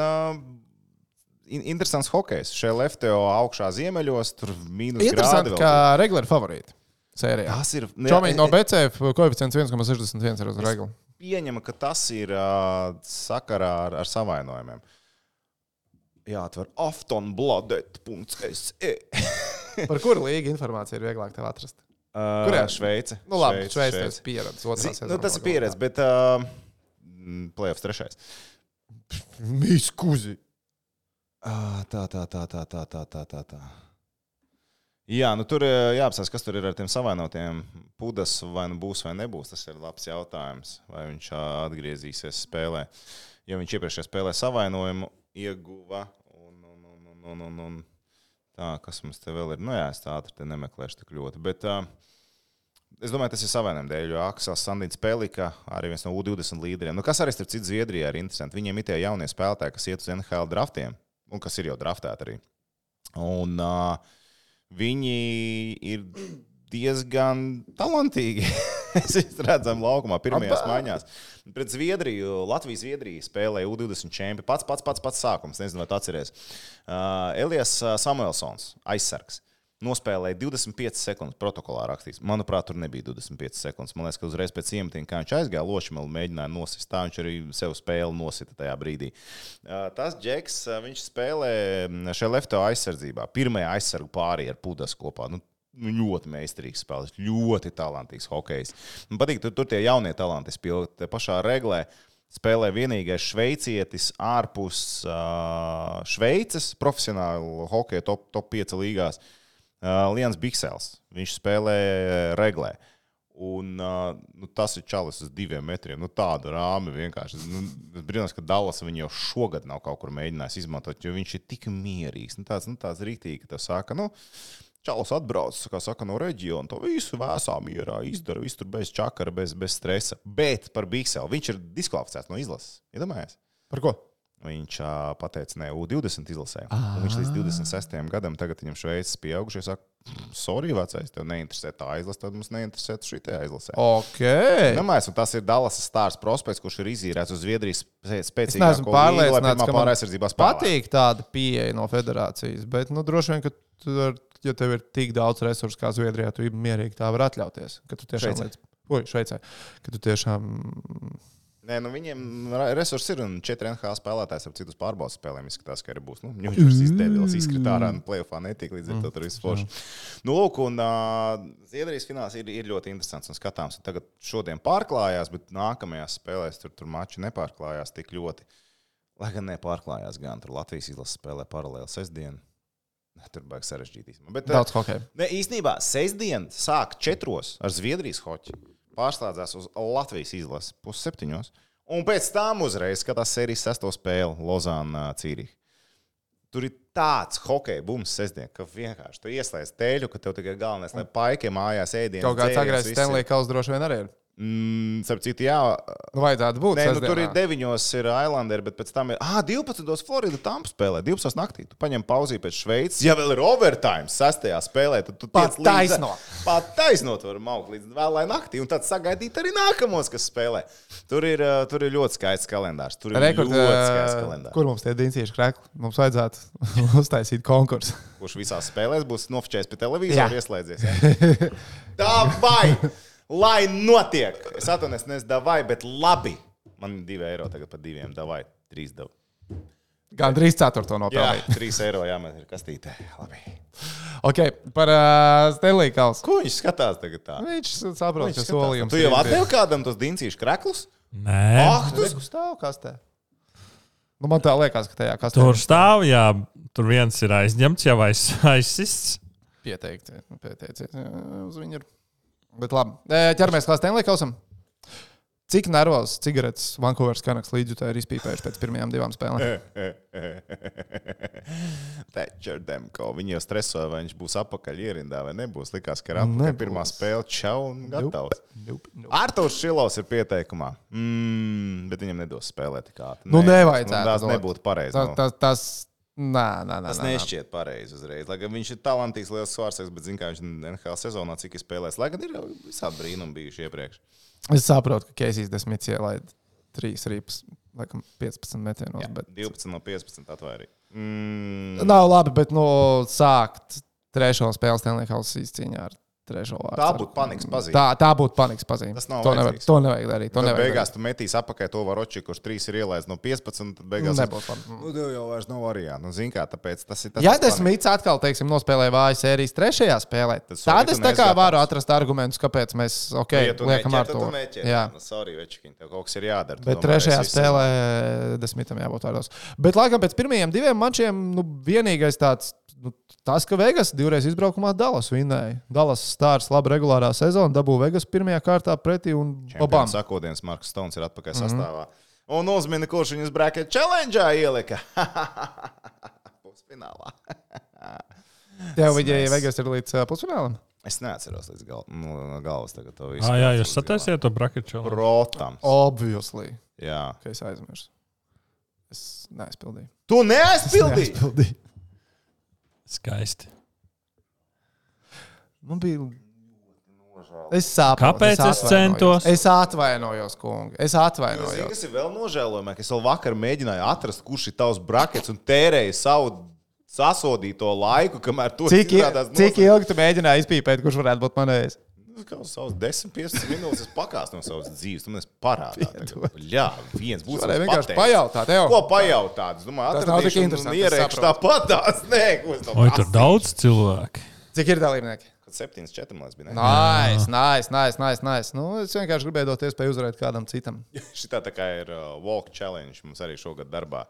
S3: interesants hokejs, Šelefto augšā ziemeļos, tur -grādi vēl.
S1: Interesanti, kā regulāri favorīti. Sērijā.
S3: Tas ir
S1: Čomīgi no BCF koeficients 1,61 ir uz regulu.
S3: Pieņemu, ka tas ir sakarā ar savainojumiem. Jāatver aftonbladet.se.
S1: Par kuru līgu informāciju ir vieglāk tev atrast?
S3: Kurā? Šveice.
S1: Labi, Šveice ir pieredze.
S3: Tas ir pieredze, bet playoffs 3.
S1: Miskuzi.
S3: Tā. Jā, tur jāapsās, kas tur ir ar tiem savainotiem. Pudas vai nu būs vai nebūs, tas ir labs jautājums. Vai viņš atgriezīsies spēlē. Jo viņš iepriekšējā spēlē savainojumu ieguva un Tā, kas mums te vēl ir? Nu jā, es tā ātri te nemeklēšu tik ļoti. Bet es domāju, tas ir savainiem dēļ, jo Aksels Sandins Pelika, arī viens no U20 līderiem. Nu, kas arī starp citu Zviedrijā ir interesanti. Viņiem ir tie jaunie spēlētāji, kas iet uz NHL draftiem, un kas ir jau draftēti arī. Un viņi ir diezgan talantīgi. Mēs redzam laukumā pirmajās maiņās. Pret Zviedriju, Latvijas-Zviedrija spēlēja U20 čempi. Pats sākums, nezinu, vai tu atceries. Elijas Samuelsons, aizsargs, nospēlēja 25 sekundes protokolā rakstīts. Manuprāt, tur nebija 25 sekundes. Man liekas, ka uzreiz pēc iemetiena, kā viņš aizgāja, Lošmelu mēģināja nosist. Tā viņš arī sev spēli nosita tajā brīdī. Tas Džeks, viņš spēlē šajā lefto aizsardzībā. Pirmajā aizsargu pārī ar Pudas kopā. Ļoti meistarīgs spēlētājs, ļoti talantīgs hokejs. Man patīk, tur tie jaunie talanti spēlē. Te pašā reglē spēlē vienīgais šveicietis ārpus Šveices profesionālu hokeju top 5 līgās. Lians Biksels. Viņš spēlē reglē. Un tas ir čalis uz 2 metriem. Tāda rāme vienkārši. Es brīnos, ka Dallas viņu jau šogad nav kaut kur mēģinājis izmantot, jo viņš ir tik mierīgs. Tāds rītīgi, ka tev saka, čalis atbrauc, kā saka, no reģiona, to visu vēsā mierā izdara, visu tur bez čakara, bez stresa. Bet par Bikselu viņš ir diskvalificēts no izlases. Iedomājies?
S1: Par ko?
S3: Viņš pateica, ne, U20 izlasē. Un viņš līdz 26. gadam, tagad viņam Šveices pieaugušie saka, sorry, vecais, tev neinteresē tā izlase, tad mums neinteresē šitajā izlasē.
S1: Ok.
S3: Nemais, un tas ir Dallas Stars prospekts, kurš ir izīrēts uz Zviedrijas
S1: Es
S3: spēcīgāko
S1: neesmu pārliecināts, ka
S3: pāraizsardzībā
S1: man patīk tāda pieeja no federācijas, bet, droši vien, ka ja tev ir tik daudz resursu kā Zviedrijā, tu mierīgi tā var atļauties. Ka tu tiešām Šveicē. Ka tu tiešām...
S3: Nē, viņiem resursi ir un 4 NHL spēlētājs ar citus pārbaudas spēlēm izskatās, ka arī būs. Viņš izdevils, izkrit ārā un playoffā netika līdz ar to tur viss forši. Lūk, un Zviedrijas fināls ir ļoti interesants un skatāms. Un tagad šodien pārklājās, bet nākamajās spēlēs tur mači nepārklājās tik ļoti. Lai gan nepārklājās gan, tur Latvijas izlases spēlē paralēli sestdien. Tur baigs sarežģītīs.
S1: Daudz hokeja.
S3: Ne, īstenībā sestdien sāk 4 ar Zviedrijas hoķi. Pārslēdzās uz Latvijas izlases 6:30. Un pēc tam uzreiz skatās sērijas 6. spēli Lozāna Cīriha. Tur ir tāds hokeja bums sestdien, ka vienkārši tu ieslēdz teļu, ka tev tikai galvenais, lai paikiem mājās ēdienas.
S1: Kaut kāds agrēs Stanley Kauls droši vien arī ir.
S3: Starp citu, jā.
S1: Vajadzētu būt.
S3: Nē, tur ir 9 ir Islanderi, bet pēc tam ir 12. Florida Tampa spēlē, 12. naktī. Tu paņem pauzī pēc Šveices. Ja vēl ir overtime 6. spēlē, tad tu tiec līdz... Pat taisnot var maukt līdz vēlai naktī. Un tad sagaidīt arī nākamos, kas spēlē. Tur ir ļoti skaists kalendārs. Tur ir ļoti skaists kalendārs.
S1: Kur mums tie dincīši krekli? Mums vajadzētu uztaisīt konkursu.
S3: Kurš visās spēlēs būs nofočējis pie televizoru ieslēdzies. Ja? Davai! Lai notiek! Es atvainojos, nevis davai, bet labi. Man ir 2 eiro tagad par 2, davai, 3 davu.
S1: Gan 3/4 nopelnīt.
S3: Jā, 3 eiro jāmet ir kastītē. Labi.
S1: Ok, par Stanley Kauls.
S3: Ko viņš skatās tagad tā?
S1: Viņš saprot, ka solījums.
S3: Tu jau atdevi kādam tos dincīšu kreklus?
S2: Nē.
S3: Tu
S1: stāv kastē. Man tā liekas, ka tajā kastē.
S2: Tur stāv, jā. Tur viens ir aizņemts, jau aizsists.
S1: Pieteikti. Uz viņu ir. Bet labi. Ķeramies klāt Stanley Kausam. Cik nervozs cigaretes Vancouveras Canucks līdzjutēji ir izpīpējuši pēc pirmajām 2 spēlēm?
S3: Thatcher Demko. Viņi jau stresoja, vai viņš būs apakaļ ierindā vai nebūs. Likās, ka ir apakaļ pirmā spēle čau un gatavs. Artūrs Šilovs ir pieteikumā. Bet viņam nedos spēlēt tik ātri.
S1: Nevajadzētu.
S3: Tas nebūtu pareizi. Tas nešķiet pareizi uzreiz. Lai gan viņš ir talantīgs, liels svārsēks, bet zin, kā viņš NHL sezonā cik ir spēlējis. Lai gan ir visādi brīnumi bijuši iepriekš.
S1: Es saprotu, ka Keisijs Desmits ielaid 3 rīpas, laikam 15 metienos.
S3: Jā, bet... 12 no 15 atvairī.
S1: Nav labi, bet sākt 3. spēles Stanley Kauls izcīņā ar 3. vārdu.
S3: Tā būtu panikas pazīme.
S1: Tā būtu panikas pazīme. To nevajag darīt.
S3: Tad beigās tu metīs apakaļ to Varoči, kurš 3 ir ielaists no 15, tad beigās...
S1: Nebūs panika.
S3: Jau vairs nav variantu. Zin kā, tāpēc tas ir tas...
S1: Ja Desmits atkal, teiksim, nospēlēja vāju sērijas 3. spēlē, tad es tā kā varu atrast argumentus, kāpēc mēs, liekam ar to.
S3: Jā, sorry, Večkiņ, tev kaut kas ir jādara.
S1: Bet 3. spēlē Desmitam jābūt vārdos. Bet, laikam, pēc pirmajiem 2 mačiem, vienīgais tāds... Tas, ka Vegas 2 reizes izbraukumā Dallas vinnēja. Dallas Stars laba regulārā sezona, dabū Vegas pirmajā kārtā pretī un babam.
S3: Sakodienas Marks Stones ir atpakaļ sastāvā. Un uzmini, kurš viņus Bracket Challenge'ā ielika. Pusfinālā.
S5: Tev viņa Vegas ir līdz pusfinālam?
S3: Es neatceros līdz no galvas tagad to visu.
S2: Jā, jūs sataisiet to bracket challenge?
S3: Protams.
S5: Obviously.
S3: Jā.
S5: Ka es aizmirsu. Es neaizpildīju.
S3: Tu neaizpildīji?
S2: Skaisti.
S5: Man bija... Es saprotu.
S2: Kāpēc es centos?
S5: Es atvainojos, kungi. Es
S3: Zini,
S5: atvainojos.
S3: kas ir vēl nožēlojamāk? Es vēl vakar mēģināju atrast, kurš ir tavs brackets un tērēju savu sasodīto laiku, kamēr to
S5: Cik ilgi tu mēģināji izpīpēt, kurš varētu būt manējais?
S3: Kā uz savus 10-15 minūtes es pakāstu no savas dzīves. Tu man esi parādā. Jā, viens būs.
S5: Varēja vienkārši pajautāt tev.
S3: Ko pajautāt? Es domāju,
S5: Tas nav tik
S3: atradīšu un
S5: interesanti, es
S3: ierēkšu
S5: saprotu.
S3: tāpatās. Nē, ko es
S2: Oi, tur daudz cilvēki.
S5: Cik ir dalībnieki?
S3: 7-4 man bija. Ne?
S5: Nice. Nu, es vienkārši gribēju dot iespēju uzvarēt kādam citam.
S3: Šitā tā kā ir walk challenge mums arī šogad darbā.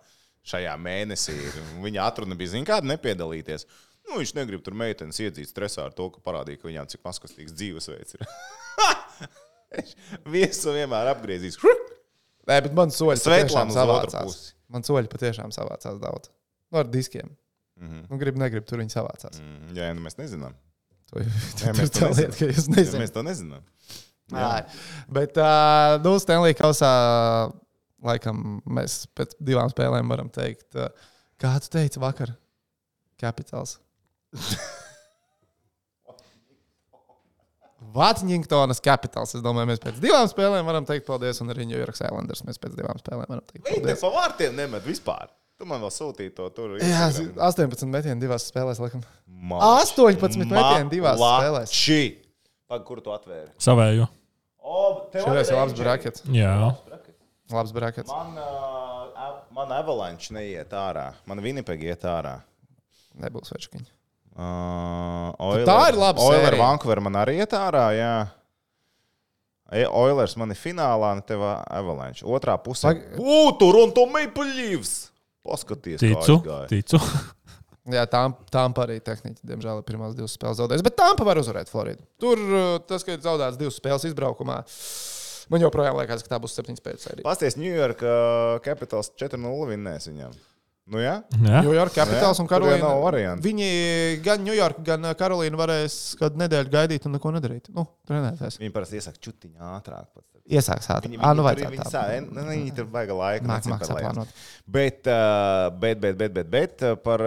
S3: Šajā mēnesī viņa atruna bija, zin kāda nepiedalīties. Nu, viņš negrib tur meitenes iedzīt stresā ar to, ka parādīja, ka viņām cik maskastīgs dzīvesveids ir. Viesu vienmēr apgriezīs.
S5: Nē, bet man soļi patiešām
S3: Svetlana uz otru
S5: savācās.
S3: pusi.
S5: Man soļi patiešām savācās daudz. Nu, ar diskiem. Nu, negrib, tur viņi savācās.
S3: Jā, nu mēs nezinām.
S5: To
S3: mēs to
S5: tā lieta, ka jūs nezināt.
S3: Mēs to nezinām.
S5: Bet, nu, Stanley Kausā, laikam, mēs pēc 2 spēlēm varam teikt, kā tu teici vakar? Capitals. Vatņingtonas Capitals. Es domāju, mēs pēc 2 spēlēm varam teikt paldies, un arī New York Islanders mēs pēc 2 spēlēm varam teikt
S3: Viņi
S5: paldies.
S3: pa vārtiem nemet vispār. Tu man vēl sūtīji to tur.
S5: Jā, 18 metieni 2 spēlēs, laikam. 18 metieni 2 spēlēs.
S3: Pag, kur tu atvēri?
S2: Savēju.
S5: Šoreiz ir labs brackets.
S2: Jā.
S5: Labs brackets.
S3: Man Avalanche neiet ārā. Man Winnipeg iet ārā.
S5: Nebūs večkiņi.
S3: Tā
S5: ir laba
S3: Oilers
S5: sērija.
S3: Vancouver man arī iet ārā, jā. Oilers man ir finālā, un tev Avalanche. Otrā pusē. Toronto Maple Leafs! Paskaties,
S2: Ticu.
S5: Jā, Tampa arī tehniski, diemžēl, ir pirmās 2 spēles zaudējusi. Bet Tampa var uzvarēt Floridu. Tur tas, ka ir zaudēts 2 spēles izbraukumā, man joprojām liekas, ka tā būs 7 spēles sērija.
S3: Pasties, New York Capitals 4-0 vinnēs viņam. Nu jā?
S5: New York Capitals un Karolīna.
S3: Nav variantu.
S5: Viņi gan New York, gan Karolīna varēs kādu nedēļu gaidīt un neko nedarīt. Nu, trenēties.
S3: Viņi parasti iesaka čutiņu ātrāk.
S5: Iesāks ātrāk.
S3: Viņi
S5: Vajadzētu tā.
S3: Viņi tur vajag laiku.
S5: Māk saplānot.
S3: Bet par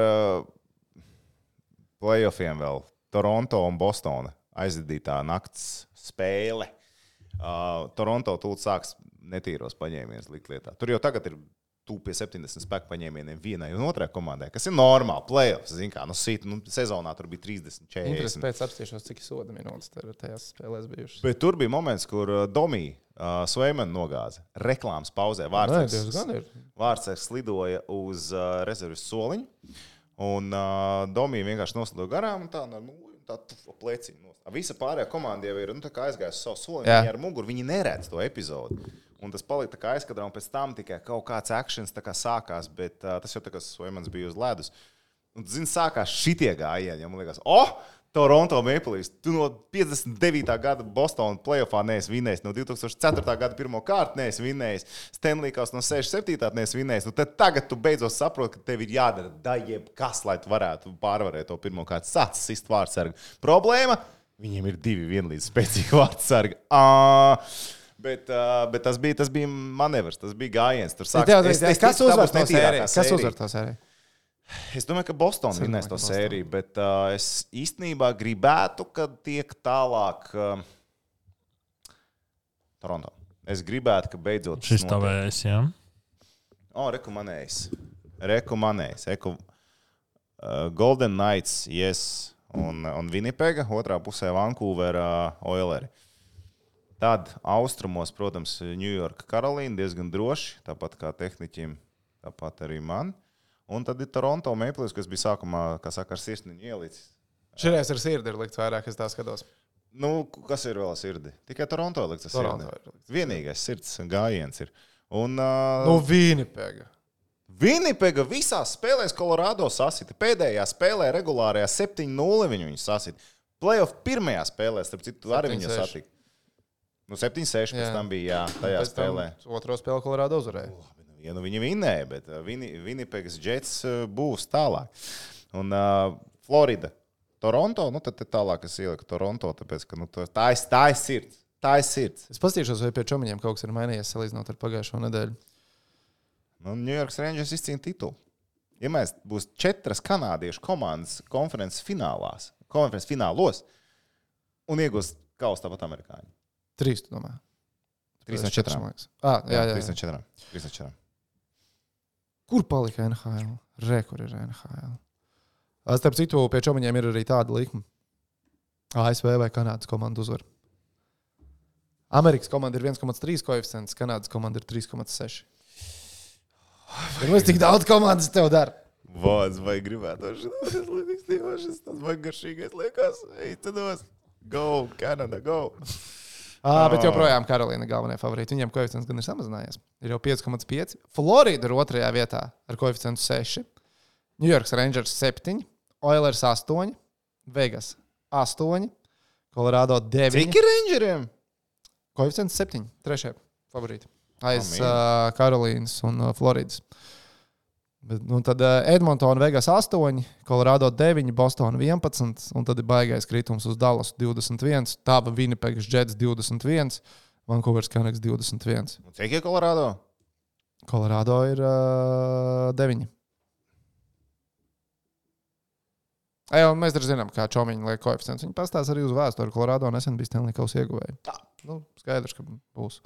S3: playoffiem vēl. Toronto un Bostona aizdītā nakts spēle. Toronto tūlīt sāks netīros paņēmienus likt lietā. Tur jau tagad ir pie 70 spēku paņēmieniem vienai un otrai komandai, kas ir normāli. Playoffs, zin kā, sezonā tur bija 30, 40.
S5: Interesanti, pēc apstīšanos, cik soda minūtes tajās spēlēs bijušas.
S3: Bet tur bija moments, kur Domī Sveimana nogāza reklāmas pauzē. Vārtsargs slidoja uz rezerves soliņu, un Domī vienkārši noslidoja garām un tā pleciņu. Visa pārējā komanda jau ir aizgājusi savu soliņu, viņi ar muguru, viņi neredz to epizodu. Un tas palika tā kā aizkadrā, un pēc tam tikai kaut kāds actions tā kā sākās, bet tas jau tā kā Sveimans bija uz ledus. Un, zini, sākās šitie gājieni, ja man liekas, Toronto Maple Leafs, tu no 59. gada Bostona playoffā neesi vinnējis, no 2004. gada pirmo kārtu neesi vinnējis, Stanley Cups no 67. neesi vinnējis, nu tad tagad tu beidzot saproti, ka tev ir jādara jebkas, lai tu varētu pārvarēt to pirmo kārtu. Sācis sist vārtsargu. Problēma? Viņiem ir 2 vienlīdz spēcīgi vārtsargi. Bet tas bija manevrs, tas bija gājiens.
S5: Kas uzvar to sēriju?
S3: Es domāju, ka Boston vinnēs to sēriju, bet es īstenībā gribētu, kad tiek tālāk Toronto. Es gribētu, ka beidzot
S2: šis tavējais, jā?
S3: Reku. Golden Knights, yes, un Winnipega, otrā pusē Vancouver Oileri. Tad austrumos, protams, New York, Karolīna diezgan droši, tāpat kā tehniķim, tāpat arī man. Un tad ir Toronto Maple Leafs, kas bija sākumā, kā saka, ar sirsniņu ielicis.
S5: Šoreiz ar sirdi ir likt vairāk, es tā skatos.
S3: Nu, kas ir vēl sirdi? Tikai Toronto likt ar sirdi. Vienīgais sirds gājiens ir. Un,
S5: Winnipega.
S3: Winnipega visās spēlēs Colorado sasita. Pēdējā spēlē regulārajā 7-0 viņu sasita. Playoff pirmajā spēlē, starp citu, arī viņu satika. 7-6 pēc tam bija, tajā spēlē.
S5: Otro spēli Colorado uzvarēja.
S3: Ja viņi vinnēja, bet Winnipegas Jets būs tālāk. Un Florida Toronto, nu tad tālāk es ieliku Toronto, tāpēc, ka tā ir sirds. Tā ir sirds.
S5: Es paskatīšos, vai pie čomiņiem kaut kas ir mainījies salīdzinot ar pagājušo nedēļu.
S3: Nu, New York Rangers izcīna titulu. Ja mēs būs 4 kanādiešu komandas konferences finālos un iegūs kausu tāpat amerikāņi.
S5: 3, tu domā?
S3: 3 no 4.
S5: Jā.
S3: 3 no 4.
S5: Kur palika NHL? Kur ir NHL? Starp citu, pie čomiņiem ir arī tāda likme. ASV vai Kanādas komanda uzvar. Amerikas komanda ir 1,3 koeficients, Kanādas komanda ir 3,6. Cik daudz komandas tev dara?
S3: Vāds, vai gribētu šis tāds vai garšīgais liekas. Ej, tados. Go, Canada, go.
S5: Bet joprojām Karolīna galvenie favorīti. Viņiem koeficients gan ir samazinājies. Ir jau 5,5. Florida ir 2. vietā ar koeficientu 6. New York Rangers 7. Oilers 8. Vegas 8. Colorado 9.
S3: Cik ir Rangeriem?
S5: Koeficients 7. 3. favorīti. Aiz Karolīnas un Floridas. Bet, tad Edmontona Vegas 8, Colorado 9, Boston 11, un tad ir baigais kritums uz Dallas 21, Tāba Winnipegas Jets 21, Vancouveras Canucks 21.
S3: Un cik ir Colorado?
S5: Colorado ir 9. Mēs arī zinām, kā čomiņi liek koeficients. Viņi pastāsta arī uz vēsturi. Colorado nesen bija Stanley Kausa ieguvēji. Skaidrs, ka būs.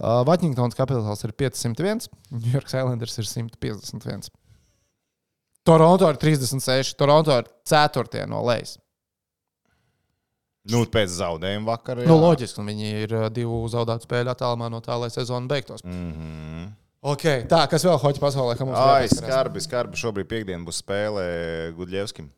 S5: Washingtons Capitals ir 501, New York Islanders ir 151. Toronto ir 36, Toronto ir 4. no lejas.
S3: Nu, pēc zaudējuma vakarā.
S5: Loģiski, un viņi ir 2 zaudētu spēļu attālumā no tā, lai sezona beigtos. Okay, tā, kas vēl hoķi pasaulē?
S3: Skarbi. Šobrīd piekdien būs spēle Gudļevskim.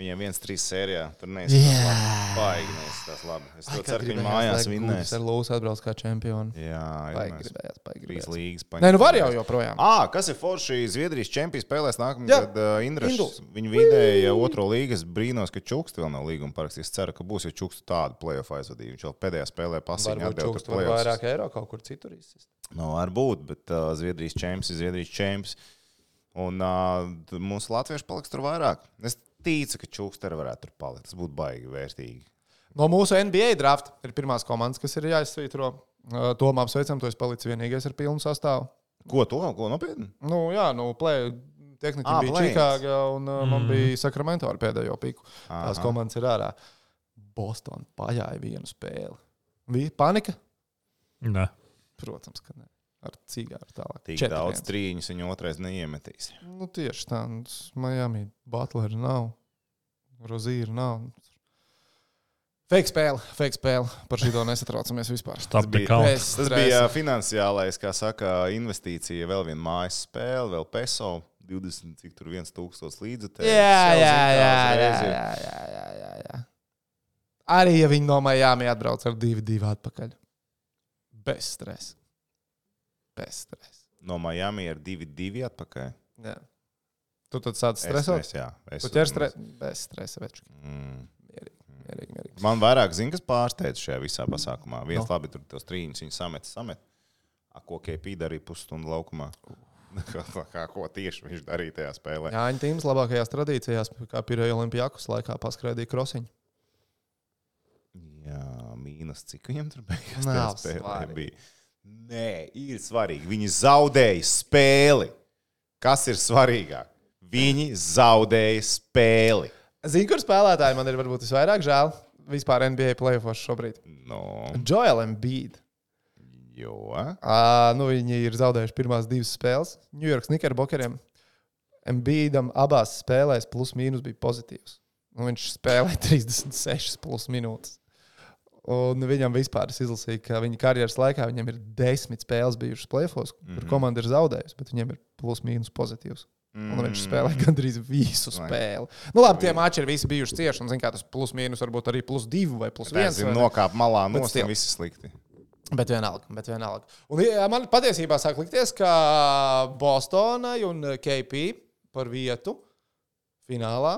S3: Viņiem 1-3 sērijā. Tur neizskatās labi. Es to ceru, ka viņi mājās vinnēs.
S5: Ar Lūsu atbrauc kā čempioni.
S3: Jā,
S5: gribējās.
S3: 3 līgas.
S5: Var jau joprojām.
S3: Kas ir forši Zviedrijas čempions spēlēs nākamgad Indrašs? Viņi vidēja 2. līgas. Brīnos, ka Čuksts vēl nav līguma parakstījis. Es ceru, ka būs, jo Čuksts tādu play-off aizvadīja. Viņš vēl pēdējā spēlē pasiņā atdeva
S5: Čuksts var vairāk eiro kaut kur citur izsist.
S3: Var būt, bet Zviedrijas čempions ir Zviedrijas čempions. Un mūsu latvieši paliks tur vairāk. Es ticu, ka Čuksteri varētu tur palikt. Tas būtu baigi vērtīgi.
S5: No mūsu NBA draft ir pirmās komandas, kas ir jāizsvītro. Tomā apsveicam, tu esi palicis vienīgais ar pilnu sastāvu.
S3: Ko nopietni?
S5: Tehniķi bija Čikāga un man bija Sacramento ar pēdējo piku. Tās komandas ir ārā. Boston pajāja vienu spēli. Bija panika?
S2: Nē.
S5: Protams, ka ne. Ar cigāru tālāk.
S3: Tik daudz trīņus viņa otrais neiemetīs.
S5: Tieši tā. Miami Butler nav. Rozīra nav. Fake spēle. Par šito nesatraucamies vispār.
S2: Tas
S3: bija finansiālais, kā saka, investīcija. Vēl viena mājas spēle, vēl peso. 20, cik tur 1,000 līdzekļu.
S5: Jā. Arī, ja viņi no Miami atbrauc ar 2-2 atpakaļ. Bez stresa.
S3: No Miami ir 2-2 atpakaļ.
S5: Jā. Tu tad sāc stresot?
S3: Jā.
S5: Tu ķer bez stresa, veču. Mierīgi.
S3: Man vairāk zina, kas pārsteidz šajā visā pasākumā. Viens labi tur tos trīņus viņi samet. Ko KP darīja pusstundu laukumā? Ko tieši viņš darīja tajā spēlē?
S5: Jāņa tīms labākajās tradīcijās, kā Pirēja Olimpijakus laikā paskraidīja krosiņu.
S3: Jā, mīnus cik viņam tur beigās tajā spēlē bija. Nē, ir svarīgi. Viņi zaudēja spēli. Kas ir svarīgāk? Viņi zaudēja spēli.
S5: Zini, kur spēlētāji man ir varbūt visvairāk žēl vispār NBA playoffos šobrīd? Joel Embiid.
S3: Jo?
S5: Viņi ir zaudējuši pirmās 2 spēles. New York Knickerbockeriem Embiidam abās spēlēs plus mīnus bija pozitīvs. Viņš spēlē 36 plus minūtes. Un viņam vispār izlasīja, ka viņa karjeras laikā viņam ir 10 spēles bijušas playoffos, kur komanda ir zaudējusi, bet viņam ir plus mīnus pozitīvs. Un viņš spēlē gandrīz visu spēli. Labi, tie mači ir visi bijuši cieši, un zin, kā tas plus mīnus varbūt arī plus 2 vai plus 1.
S3: Tas ir nokāp malā nost, un visi slikti.
S5: Bet vienalga. Un man patiesībā sāk likties, ka Bostonai un KP par vietu finālā,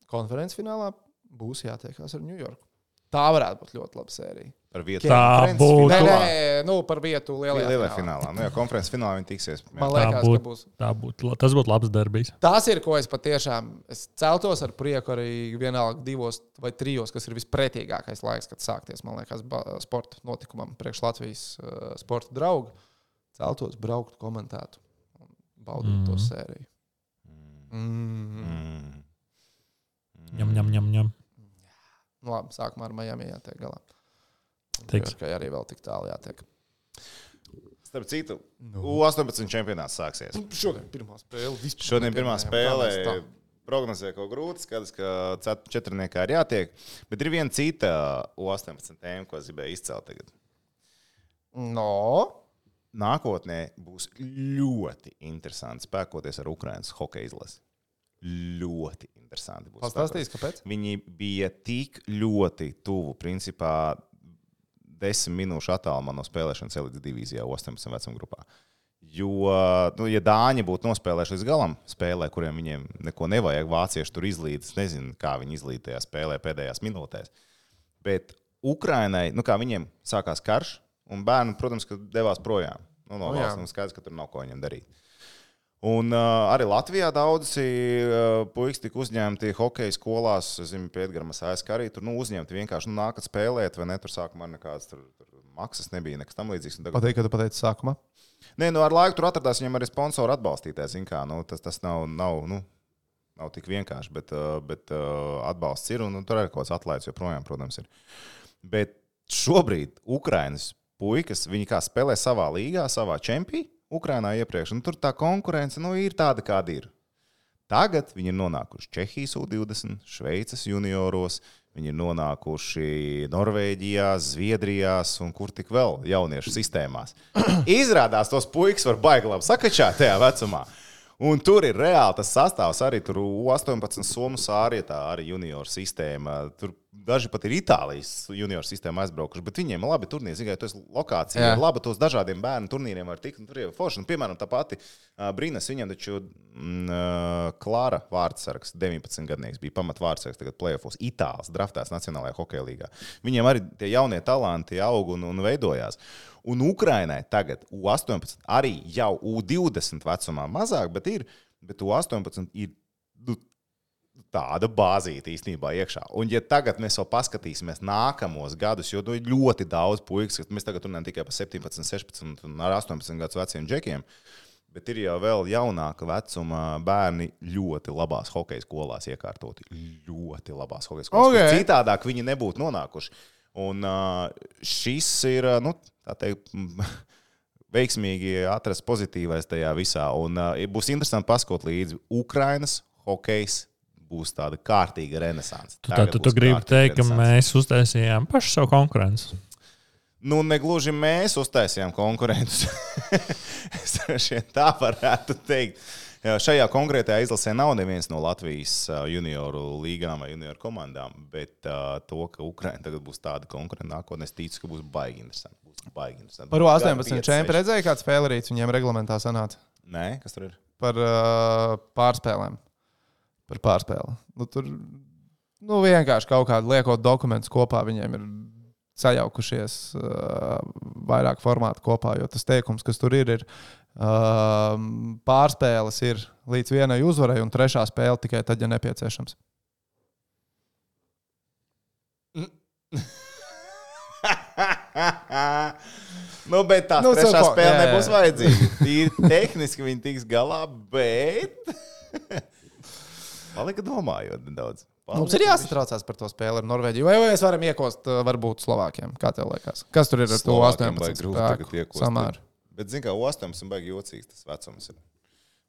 S5: konferences finālā būs jātiekās ar New Yorku. Tā varētu būt ļoti laba sērija.
S3: Par vietu.
S2: Tā būtu.
S5: Nē, par vietu lielajā
S3: finālā. Nu, jā, konferences finālā viņi tiksies.
S5: Man liekas, ka būs.
S2: Tas būtu labs derbijs.
S5: Tas ir, ko es patiešām celtos ar prieku arī vienalga 2 vai 3, kas ir vispretīgākais laiks, kad sākties, man liekas, sporta notikumam priekš Latvijas sporta draugu. Celtos, braukt, komentētu un baudīt to sēriju.
S2: Ņem.
S5: Nu, labi, sākumā ar Miami jātiek galā.
S2: Tiks.
S5: Ka arī vēl tik tālu jātiek.
S3: Starp citu, U18 čempionāts sāksies.
S5: Šodien pirmā spēle.
S3: Šodien pirmā spēle prognozē kaut grūti, skaidrs, ka četrniekā ir jātiek. Bet ir viena cita U18 tēma, ko es gribēju izcelt tagad.
S5: No.
S3: Nākotnē būs ļoti interesanti spēkoties ar Ukrainas hokeja izlasi. Ļoti interesanti būs.
S5: Pastāstīs, kāpēc?
S3: Viņi bija tik ļoti tuvu, principā 10 minūšu attālumā no spēlēšanas elites divīzijā 18 vecuma grupā. Jo, ja Dāņi būtu nospēlējuši līdz galam spēlē, kuriem viņiem neko nevajag, vācieši tur izlīdz, nezinu, kā viņi izlīd tajā spēlē pēdējās minūtēs. Bet Ukrainai, kā viņiem sākās karš, un bērni, protams, ka devās projām. No valsts skaidrs, ka tur nav ko viņiem darīt. Un arī Latvijā daudzi puikas tika uzņemti hokeja skolās, zinu, pie Edgars ASK arī tur uzņemti vienkārši nākat spēlēt, vai ne, tur sākumā nekādas tur maksas nebija, nekas tam līdzīgs.
S5: Patīk, ka tu pateici sākumā?
S3: Nē, ar laiku tur atradās viņam arī sponsoru atbalstītājs, zin kā, tas nav tik vienkārši, bet atbalsts ir, un tur arī kaut kāds atlaids joprojām, protams, ir. Bet šobrīd Ukrainas puikas, viņi kā spēlē savā līgā, savā čempī, Ukrainā iepriekš, un tur tā konkurence ir tāda, kāda ir. Tagad viņi ir nonākuši Čehijas U20, Šveices junioros, viņi ir nonākuši Norvēģijā, Zviedrijās un kur tik vēl jauniešu sistēmās. Izrādās tos puikas var baigi labi sakačāt tajā vecumā. Un tur ir reāli tas sastāvs arī tur U18 Somu sārietā, arī junioru sistēma. Tur daži pat ir Itālijas junioru sistēma aizbraukuši, bet viņiem labi turnīri. Zināt, tu esi lokācija, ir labi tos dažādiem bērnu turnīriem var tikt, un tur ir forši. Un, piemēram, tā pati Brīnas, viņam taču Klara vārdsargs, 19 gadnieks, bija pamat vārdsargs tagad play-offos, Itāls, draftēts Nacionālajā hokeja līgā. Viņiem arī tie jaunie talanti aug un veidojās. Un Ukrainai tagad U18 arī jau U20 vecumā mazāk, bet U18 ir tāda bāzīta īstenībā iekšā. Un ja tagad mēs vēl paskatīsimies nākamos gadus, jo ir ļoti daudz puikas, ka mēs tagad runājam tikai par 17, 16 un 18 gadus veciem džekiem, bet ir jau vēl jaunāka vecuma bērni ļoti labās hokeja skolās iekārtoti. Ļoti labās hokeja skolās. Okay. Citādāk viņi nebūtu nonākuši. Un šis ir, tā teikt, veiksmīgi atrast pozitīvais tajā visā. Un būs interesanti paskot līdzi Ukrainas hokejs būs tāda kārtīga renesanse.
S2: Tu gribi teikt, ka mēs uztaisījām pašu savu konkurenci?
S3: Negluži mēs uztaisījām konkurentus. Tā varētu teikt. Šajā konkrētajā izlasē nav neviens no Latvijas junioru līgām vai junioru komandām, bet to, ka Ukraina tagad būs tāda konkurenta nākotnē, es ticu, ka būs baigi interesanti.
S5: Par 18 čempi redzēja, kāds spēlerīts viņiem reglamentā sanāca?
S3: Nē, kas tur ir?
S5: Par pārspēlēm. Par pārspēli. Tur vienkārši kaut kādu liekot dokumentus kopā viņiem ir sajaukušies vairāk formātu kopā, jo tas teikums, kas tur ir pārspēles ir līdz vienai uzvarai un trešā spēle tikai tad, ja nepieciešams.
S3: Bet tā trešā spēle nebūs vajadzīga. Tīri tehniski viņi tiks galā, bet palika domājot nedaudz.
S5: Mums ir jāsatraucās par to spēli ar Norvēģiju. Vai mēs varam iekost varbūt Slovākiem? Kā tev liekas? Kas tur ir ar to 18 spēku samāru?
S3: Bet, zin kā, 18 baigi jocīgs tas vecums ir.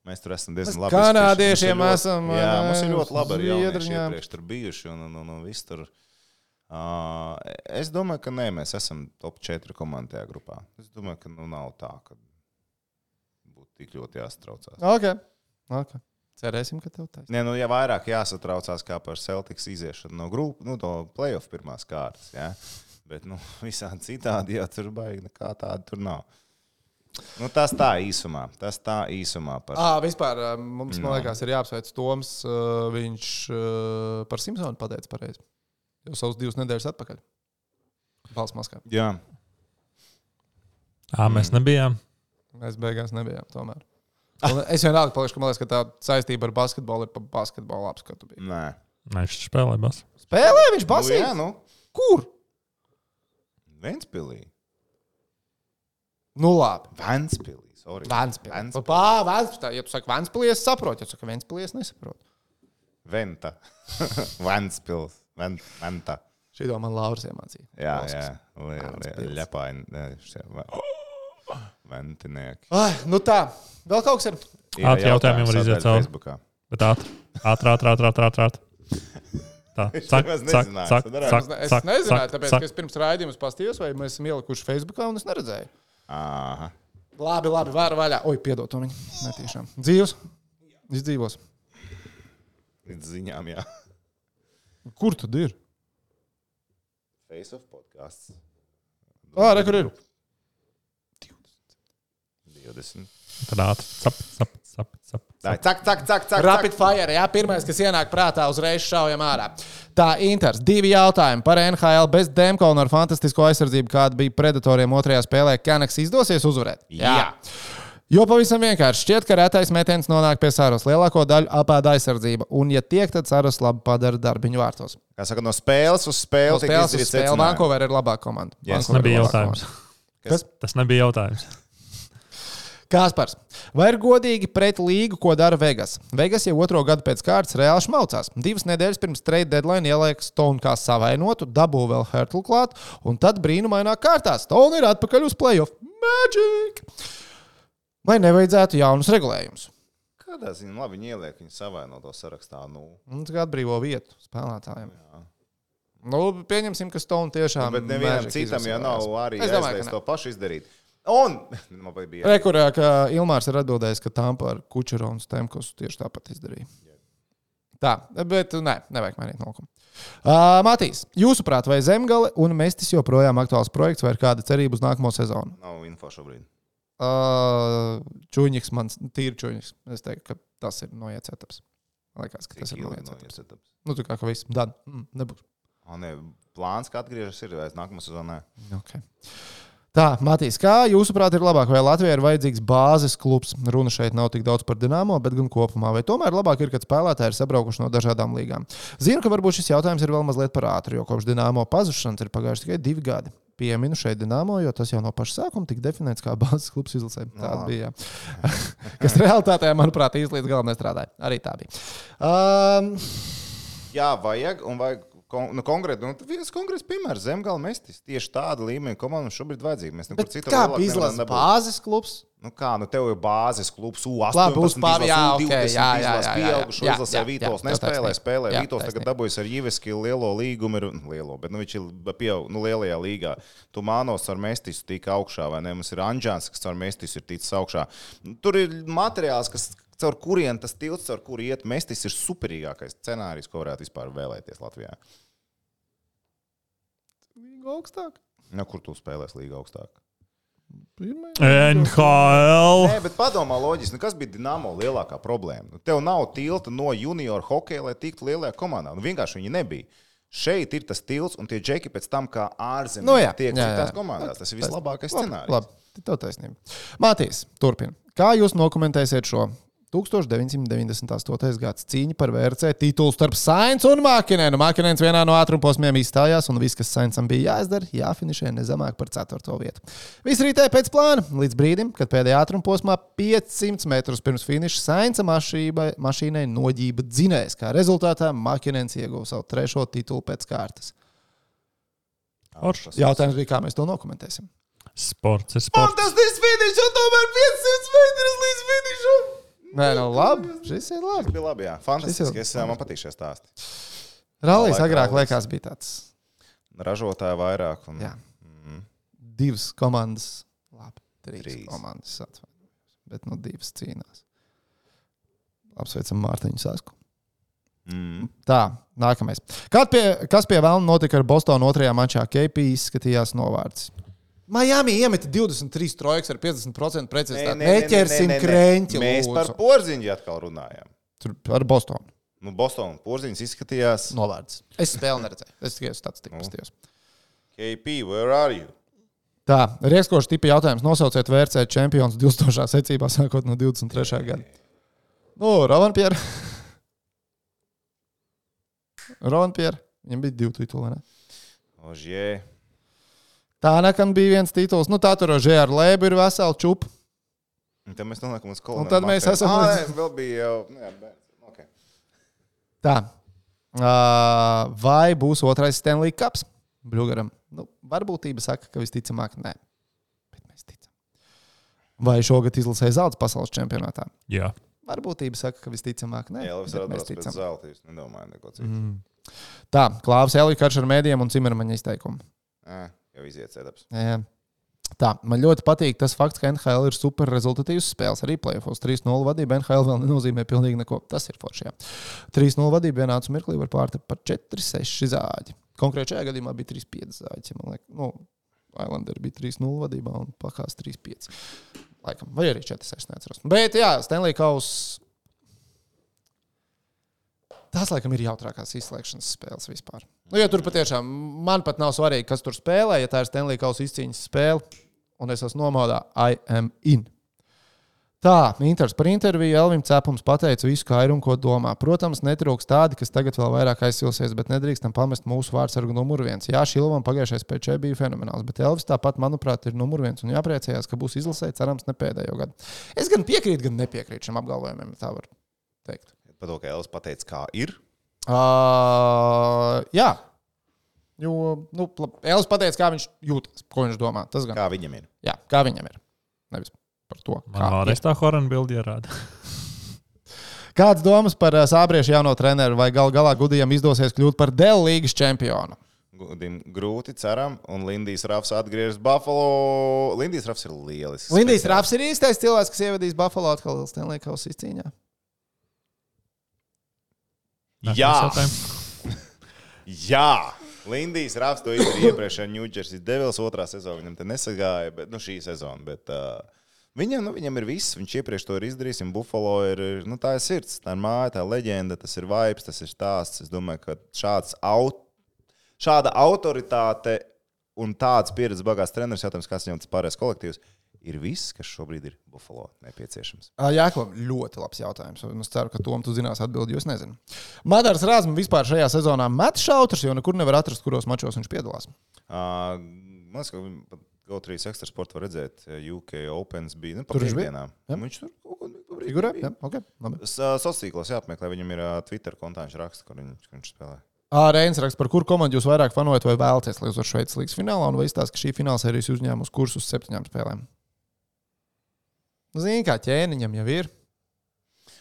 S3: Mēs tur esam diezgan labi.
S5: Kanādiešiem esam.
S3: Jā, mums ir ļoti labi ar jaunieši iepriekš tur bijuši un viss tur. Es domāju, ka nē, mēs esam top 4 komandi tajā grupā. Es domāju, ka nav tā, ka būtu tik ļoti jāsatraucās.
S5: Ok. Cerēsim, ka tev taisnība.
S3: Nē, ja vairāk jāsatraucās kā par Celtics iziešanu no grupu, no play-off pirmās kārtas, jā. Bet, visādi citādi, jā, tur baigi nekā tāda tur nav. Tas tā īsumā.
S5: Vispār mums, man liekas, ir jāapsveic Toms. Viņš par Simpsonu pateica pareizi. Jau savus 2 nedēļas atpakaļ. Balsts Maskavā.
S3: Jā.
S2: Mēs nebijām.
S5: Mēs beigās nebijām tomēr. Un es vienalga palikšu, ka man liekas, ka tā saistība ar basketbolu ir pa basketbolu apskatu.
S3: Nē.
S2: Viņš spēlē basu.
S5: Spēlē viņš basīt?
S3: Jā,
S5: Kur?
S3: Ventspilī.
S5: Nu labi.
S3: Ventspilī. Sorry.
S5: Ventspilī.
S3: Ventspilī.
S5: Ventspilī. Ja tu saki Ventspilī, es saprotu. Ja tu saki Ventspilī, es nesaprotu.
S3: Venta. Ventspils. Venta.
S5: Šī man Lauris iemācīja.
S3: Jā. Ļepaini. Ventinieki.
S5: Ai, nu tā. Vēl kaut kas ir.
S2: Ātri jautājumiem var iziet cauri.
S3: Facebookā.
S2: Bet ātri. Tā. Cak.
S5: Es nezināju, tāpēc, ka es pirms raidījuma pastījos, vai mēs esam ielikuši Facebookā, un es neredzēju.
S3: Aha.
S5: Labi, vāra vaļā. Oi, piedod to viņu. Netiešām. Dzīvos? Izdzīvos.
S3: Līdz ziņām, jā.
S5: Kur tad ir?
S3: Face of podcasts.
S5: Re, kur ir?
S3: 20.
S2: Tad ātri. Sap.
S3: Cak.
S5: Rapid fire, jā, pirmais, kas ienāk prātā, uzreiz šaujam ārā. Tā, Inters, 2 jautājumi par NHL bez Demko un ar fantastisko aizsardzību, kāda bija Predatoriem otrajā spēlē. Kanaks izdosies uzvarēt?
S3: Jā.
S5: Jo pavisam vienkārši šķiet, ka retais metiens nonāk pie Saros. Lielāko daļu apēda aizsardzība. Un, ja tiek, tad Saros labi padara darbiņu vārtos.
S3: Kā saka, no spēles uz spēli.
S5: No spēles uz spēli. Vancouver ir labāka komanda.
S3: Yes.
S2: Tas nebija jautājums.
S5: Kas?
S2: Tas nebija jautājums.
S5: Kāspars, vai ir godīgi pret līgu, ko dara Vegas? Vegas jau 2. gadu pēc kārtas reāli šmaucās. 2 nedēļas pirms trade deadline ieliek Stone kā savainotu, dabū vēl Hertl klāt, un tad brīnumainā kārtā Stone ir atpakaļ uz playoff. Magic! Vai nevajadzētu jaunus regulējumus?
S3: Kādā ziņā labi viņi ieliek viņu savainoto sarakstā?
S5: Tas kā atbrīvo vietu spēlētājiem. Nu, pieņemsim, ka Stone tiešām...
S3: Bet nevienam citam jau nav arī aizlies to pašu izdarīt. Un man bija
S5: rekurā, ka Ilmārs ir atbildējis, ka Tampa ar Kučeru un Stemkosu tieši tāpat izdarīja. Tā, bet nevajag mainīt nolikumu. Matīs, jūsuprāt, vai Zemgale un Mestis joprojām aktuāls projekts vai ir kāda cerība uz nākamo sezonu?
S3: Nav info šobrīd.
S5: Čuņiks, tīri Čuņiks. Es teiktu, ka tas ir noiets etaps. Liekas, ka tas ir noiets etaps. Nu, tā kā viss. Dan, nebūs.
S3: Plāns, ka atgriežas ir vairs nākamā sezonā.
S5: Okay. Tā, Matīs, kā jūsuprāt ir labāk, vai Latvijai ir vajadzīgs bāzes klubs? Runa šeit nav tik daudz par Dinamo, bet gan kopumā. Vai tomēr labāk ir, kad spēlētāji ir sabraukuši no dažādām līgām? Zinu, ka varbūt šis jautājums ir vēl mazliet par ātru, jo kopš Dinamo pazušanas ir pagājuši tikai 2 gadi. Pieminu šeit Dinamo, jo tas jau no paša sākuma tika definēts kā bāzes klubs izlasē. Tāda bija. Kas realitātē, manuprāt, īsti līdz galam nestrādāja. Arī tā bija.
S3: Jā, vajag un vajag. Konkrēti, viens konkrēts piemērs Zemgale Mestis. Tieši tāda līmeņa komanda šobrīd vajadzīga. Mēs nekur citur
S5: kā izlasa bāzes klubs?
S3: Tev ir bāzes klubs
S5: U18,
S3: izlasa pieaugušo, izlasē Vītols, spēlē Vītols, tagad dabūjas ar Jiveski lielo līgumu, bet viņš ir pieaug, lielajā līgā. Tu Mānos ar Mestisu tika augšā, vai ne? Mums ir Anģāns, kas ar Mestisu ir ticis augšā. Tur ir materiāls, caur kurien tas tilts, caur kuru iet Mestis, ir superīgākais scenārijs, ko varētu vispār vēlēties Latvijā.
S5: Līga augstāk?
S3: Kur tu spēlēs līga augstāk?
S2: NHL.
S3: Nē, bet padomā loģiski, kas bija Dinamo lielākā problēma? Tev nav tilta no junior hokeja, lai tiktu lielajā komandā. Vienkārši viņi nebija. Šeit ir tas tilts, un tie džeki pēc tam, kā ārzemēs tiek citās komandās. Tas ir vislabākais scenārijs.
S5: Labi, tev taisnība. Mātīs, turpina. Kā jūs dokumentēsiet šo 1998. gads cīņa par VRC titulu starp Sainz un Mākinēnu? Mākinēns vienā no ātrumposmiem izstājās, un viss, kas Sainzam bija jāizdara, jāfinišē nezemāk par 4. vietu. Viss rītēja pēc plāna, līdz brīdim, kad pēdējā ātrumposmā 500 metrus pirms finiša Sainza mašīnai noģība dzinējs. Kā rezultātā Mākinēns ieguva savu 3. titulu pēc kārtas. Jautājums bija, kā mēs to dokumentēsim.
S2: Sports ir sports.
S3: Fantastisks finišs, un tomēr 500 metrus līdz finišam.
S5: Nē, labi. Šis ir labi.
S3: Tas bija labi, jā. Fantastiski. Man patīk šie stāsti.
S5: Rallijas agrāk liekas bija tāds.
S3: Ražotāji vairāk. Un...
S5: Jā. 2 komandas. Labi, 3 komandas. Bet 2 cīnās. Apsveicam Mārtiņu Sasku. Tā, nākamais. Kas pie vēlna notika ar Bostonu 2. mačā? KP izskatījās novārds. Miami iemeta 23 trojkas ar 50% precizitāti. Neķersim kreņķi.
S3: Mēs par Porziņu atkal runājām.
S5: Ar Bostonu.
S3: Bostonu Porziņš izskatījās
S5: novārds. Es spēli neredzēju. Es tikai statistiku pastījos.
S3: KP, where are you?
S5: Tā, rieskošs tipa jautājums. Nosauciet VRC čempions 2000. secībā, sākot no 23. gada. Rovanpierre. Viņam bija 2 tituli, ne?
S3: Ožie.
S5: Tānakam bija 1 tituls. Tā tur Ožie ar Lēbu ir vesela čupa.
S3: Tad mēs nonākam uz koloniju.
S5: Un tad mēs esam
S3: vēl bija jau... Okay.
S5: Tā. Vai būs otrais Stanley Cups? Bļugaram. Varbūtība saka, ka visticamāk nē. Bet mēs ticam. Vai šogad izlasēja zelta pasaules čempionātā?
S2: Jā.
S5: Varbūtība saka, ka visticamāk nē.
S3: Jā, Elvis ir atbrauc pēc zelta. Jūs nedomājat neko citu.
S5: Tā. Klāvs Elija karš ar mēdījiem un Cimermaņa izteikumu.
S3: Jau iziet setups.
S5: Jā. Tā, man ļoti patīk tas fakts, ka NHL ir super rezultatīvs spēles. Arī playoffs 3-0 vadība NHL vēl nenozīmē pilnīgi neko. Tas ir forši, jā. 3-0 vadība vienāds mirklī var pārtakt par 4-6 zāģi. Konkrēti šajā gadījumā bija 3-5 zāģi. Man liekas, Islanderi bija 3-0 vadībā un Pakās 3-5. Laikam, vai arī 4-6, neatceros. Bet jā, Stanley Kauss. Tās, laikam, ir jautrākās izslēgšanas spēles vispār. Jo tur patiešām man pat nav svarīgi, kas tur spēlē, ja tā ir Stanley Kauss izcīņas spēle, un es esmu nomodā, I am in. Tā, Inters par interviju Elvim Cepums pateica visu, kā ir un ko domā. Protams, netrūks tādi, kas tagad vēl vairāk aizsilsies, bet nedrīkstam pamest mūsu vārdsargu numuru 1. Jā, Šilovam pagājušais PČ bija fenomenāls, bet Elvis tāpat, manuprāt, ir numuru 1 un jāpriecājās, ka būs izlasē, cerams, ne pēdējo gadu. Es gan piekrītu, gan nepiekrītu šim apgalvojumiem, tā var teikt.
S3: Par to, ka Elvis pateica, kā ir?
S5: Jā. Jo, Elvis pateica, kā viņš jūtas, ko viņš domā. Tas gan.
S3: Kā viņam ir?
S5: Jā, kā viņam ir. Nevis par to,
S2: kā vēlreiz tā Horana bildi ierāda.
S5: Kāds domas par Sābriešu jauno treneru vai galā Gudijam izdosies kļūt par Dell līgas čempionu?
S3: Gudim grūti, ceram, un Lindijs Rafs atgriežas Buffalo. Lindijs Rafs ir lielisks.
S5: Lindijs Rafs ir īstais cilvēks, kas ievadīs Buffalo atkal Stanley Kauss izcīņā.
S3: Jā! Jā! Lindijs Rafs to izdarīja iepriekšējā New Jersey Devils 2. sezonā. Viņam te nesagāja, bet šī sezona. Bet, viņam ir viss. Viņš iepriekš to ir izdarījis. Buffalo ir, tā ir sirds, tā ir māja, tā ir leģenda, tas ir vibes, tas ir stāsts. Es domāju, ka šāda autoritāte un tāds pieredzes bagāts treneris, jautājums, kāds viņam tas pārējais kolektīvs, ir viss, kas šobrīd ir Buffalo nepieciešams.
S5: Jāklam, ļoti labs jautājums. Es ceru, ka Tom tu zinās atbildi, jo es nezinu. Madars Rāzma vispār šajā sezonā met šautras, jo nekur nevar atrast, kuros mačos viņš piedalās.
S3: Man liekas, ka GO3 Extra Sport var redzēt, UK Opens bija pa piekdienām. Viņš tur kaut ko
S5: figurē? Jā, ok.
S3: Sociālos jāapmeklē, viņam ir Twitter kontā, viņš raksta, kur viņš spēlē.
S5: Reins raksta, par kuru komandu jūs vairāk fanojat vai vēlaties, lai uz Šveices līgas finālā, un vai izstāsta, ka šī fināla sērijas uzņēma uz kursus 7 spēlēm? Zini, kā ķēniņam jau ir.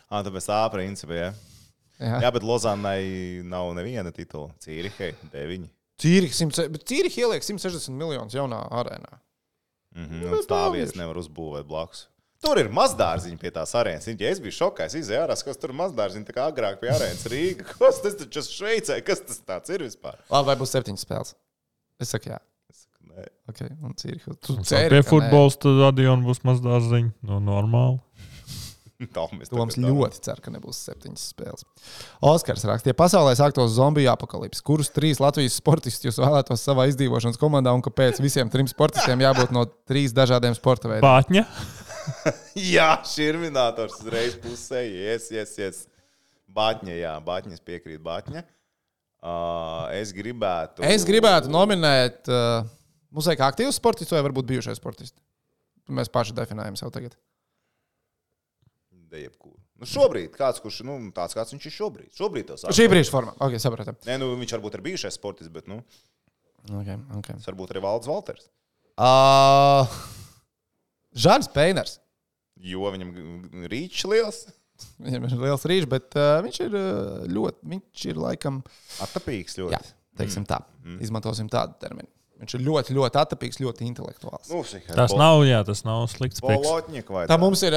S3: Tāpēc tā principā, jā. Jā, bet Lozannai nav neviena titula. Cīrihei 9.
S5: Cīrihi ieliek 160 miljonus jaunā arēnā.
S3: Stāvies nevar uzbūvēt blakus. Tur ir mazdārziņi pie tās arēnas. Ja es biju šokā, es izēju ārā, kas tur ir mazdārziņi, tā kā agrāk pie arēnas Rīga. Kas tas taču Šveicē? Kas tas tāds ir vispār?
S5: Labi, vai būs 7 spēles? Es saku, jā.
S3: Nē.
S5: Ok, un Cīrihi.
S2: Pie futbols tad Adiona būs mazdārziņi. Normāli.
S5: Toms ļoti cer, ka nebūs 7 spēles. Oskars raksta, ja pasaulē sāktos zombiju apakalips, kurus 3 Latvijas sportistus jūs vēlētos savā izdzīvošanas komandā un kāpēc visiem 3 sportistiem jābūt no 3 dažādiem sporta veidiem?
S2: Bātņa.
S3: Jā, širminators uzreiz pusē. Yes. Bātņa, jā. Bātņas piekrīt Bātņa. Es gribētu
S5: nominēt mums vajag aktīvus sportistus vai varbūt bijušais sportisti. Mēs paši definējam sev tagad.
S3: Šobrīd, kurš tāds, kāds viņš ir šobrīd.
S5: Šī brīža formā. Ok, sapratam.
S3: Nē, viņš varbūt ir bijušais sportists, bet
S5: Okay.
S3: Tas varbūt arī Valdis Valters.
S5: Žans Peiners.
S3: Jo viņam rīčs liels.
S5: Viņam ir liels rīčs, bet viņš ir laikam
S3: Attapīgs ļoti.
S5: Jā, teiksim tā. Izmantosim tādu terminu. Viņš ir ļoti, ļoti attapīgs, ļoti intelektuāls.
S2: Tas nav slikts piks.
S5: Tā mums ir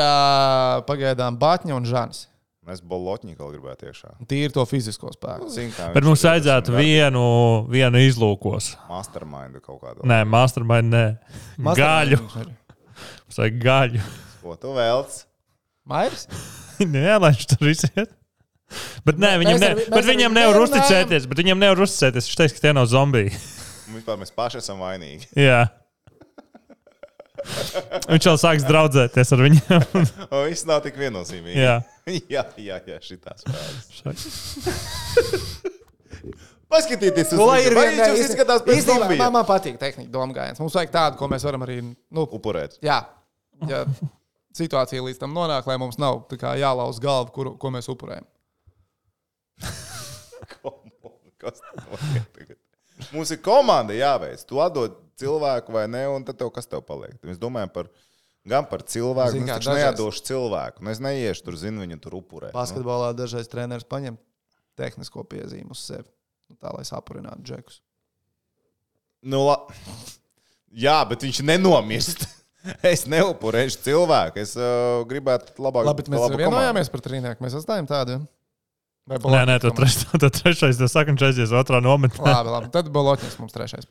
S5: pagaidām Bātņa un Žanis.
S3: Mēs Bolotņiku gribētu iekšā.
S5: Tīri to fizisko spēku.
S2: Bet mums vajadzētu vienu izlūkos.
S3: Mastermind kaut kādu.
S2: Nē, mastermind nē. Gaļu. Mums vajag gaļu.
S3: Ko tu vēlc?
S5: Mairis?
S2: Nē, lai viņš tur iziet. Bet nē, viņam nevar uzticēties. Viņš teiks, ka tie nav zombiji.
S3: Un vispār mēs paši esam vainīgi.
S2: Jā. Viņš jau sāks draudzēties ar viņiem.
S3: O, viss nav tik viennozīmīgi.
S2: Jā.
S3: jā, šitās spēles. Paskatieties uz
S5: Nu, lai ir
S3: vai
S5: viena-
S3: viņš izskatās pēc
S5: Īstenībā
S3: zombija?
S5: man patīk tehnika domgājiens. Mums vajag tādu, ko mēs varam arī,
S3: Upurēt.
S5: jā, ja situācija līdz tam nonāk, lai mums nav tā kā jālauz galva, ko mēs upurējam.
S3: Kas notiek tagad? Mums ir komanda jāveic. Tu atdod cilvēku vai ne, un tad kas tev paliek? Mēs domājam gan par cilvēku,
S5: Zini
S3: un
S5: kā,
S3: es taču
S5: dažreiz-
S3: neatdošu cilvēku. Es neiešu tur, viņu tur upurēt.
S5: Basketbolā dažreiz treneris paņem tehnisko piezīmu uz sevi, tā lai sapurinātu džekus.
S3: Jā, bet viņš nenomirst. Es neupurēšu cilvēku. Es gribētu labāk.
S5: Labi, bet mēs vienojāmies par trīnieku. Mēs atstājam tādu. Ja?
S2: Nē, tu trešais, tu saki, un šeit otrā nometnē.
S5: Labi. Tad Bolotņiks mums trešais.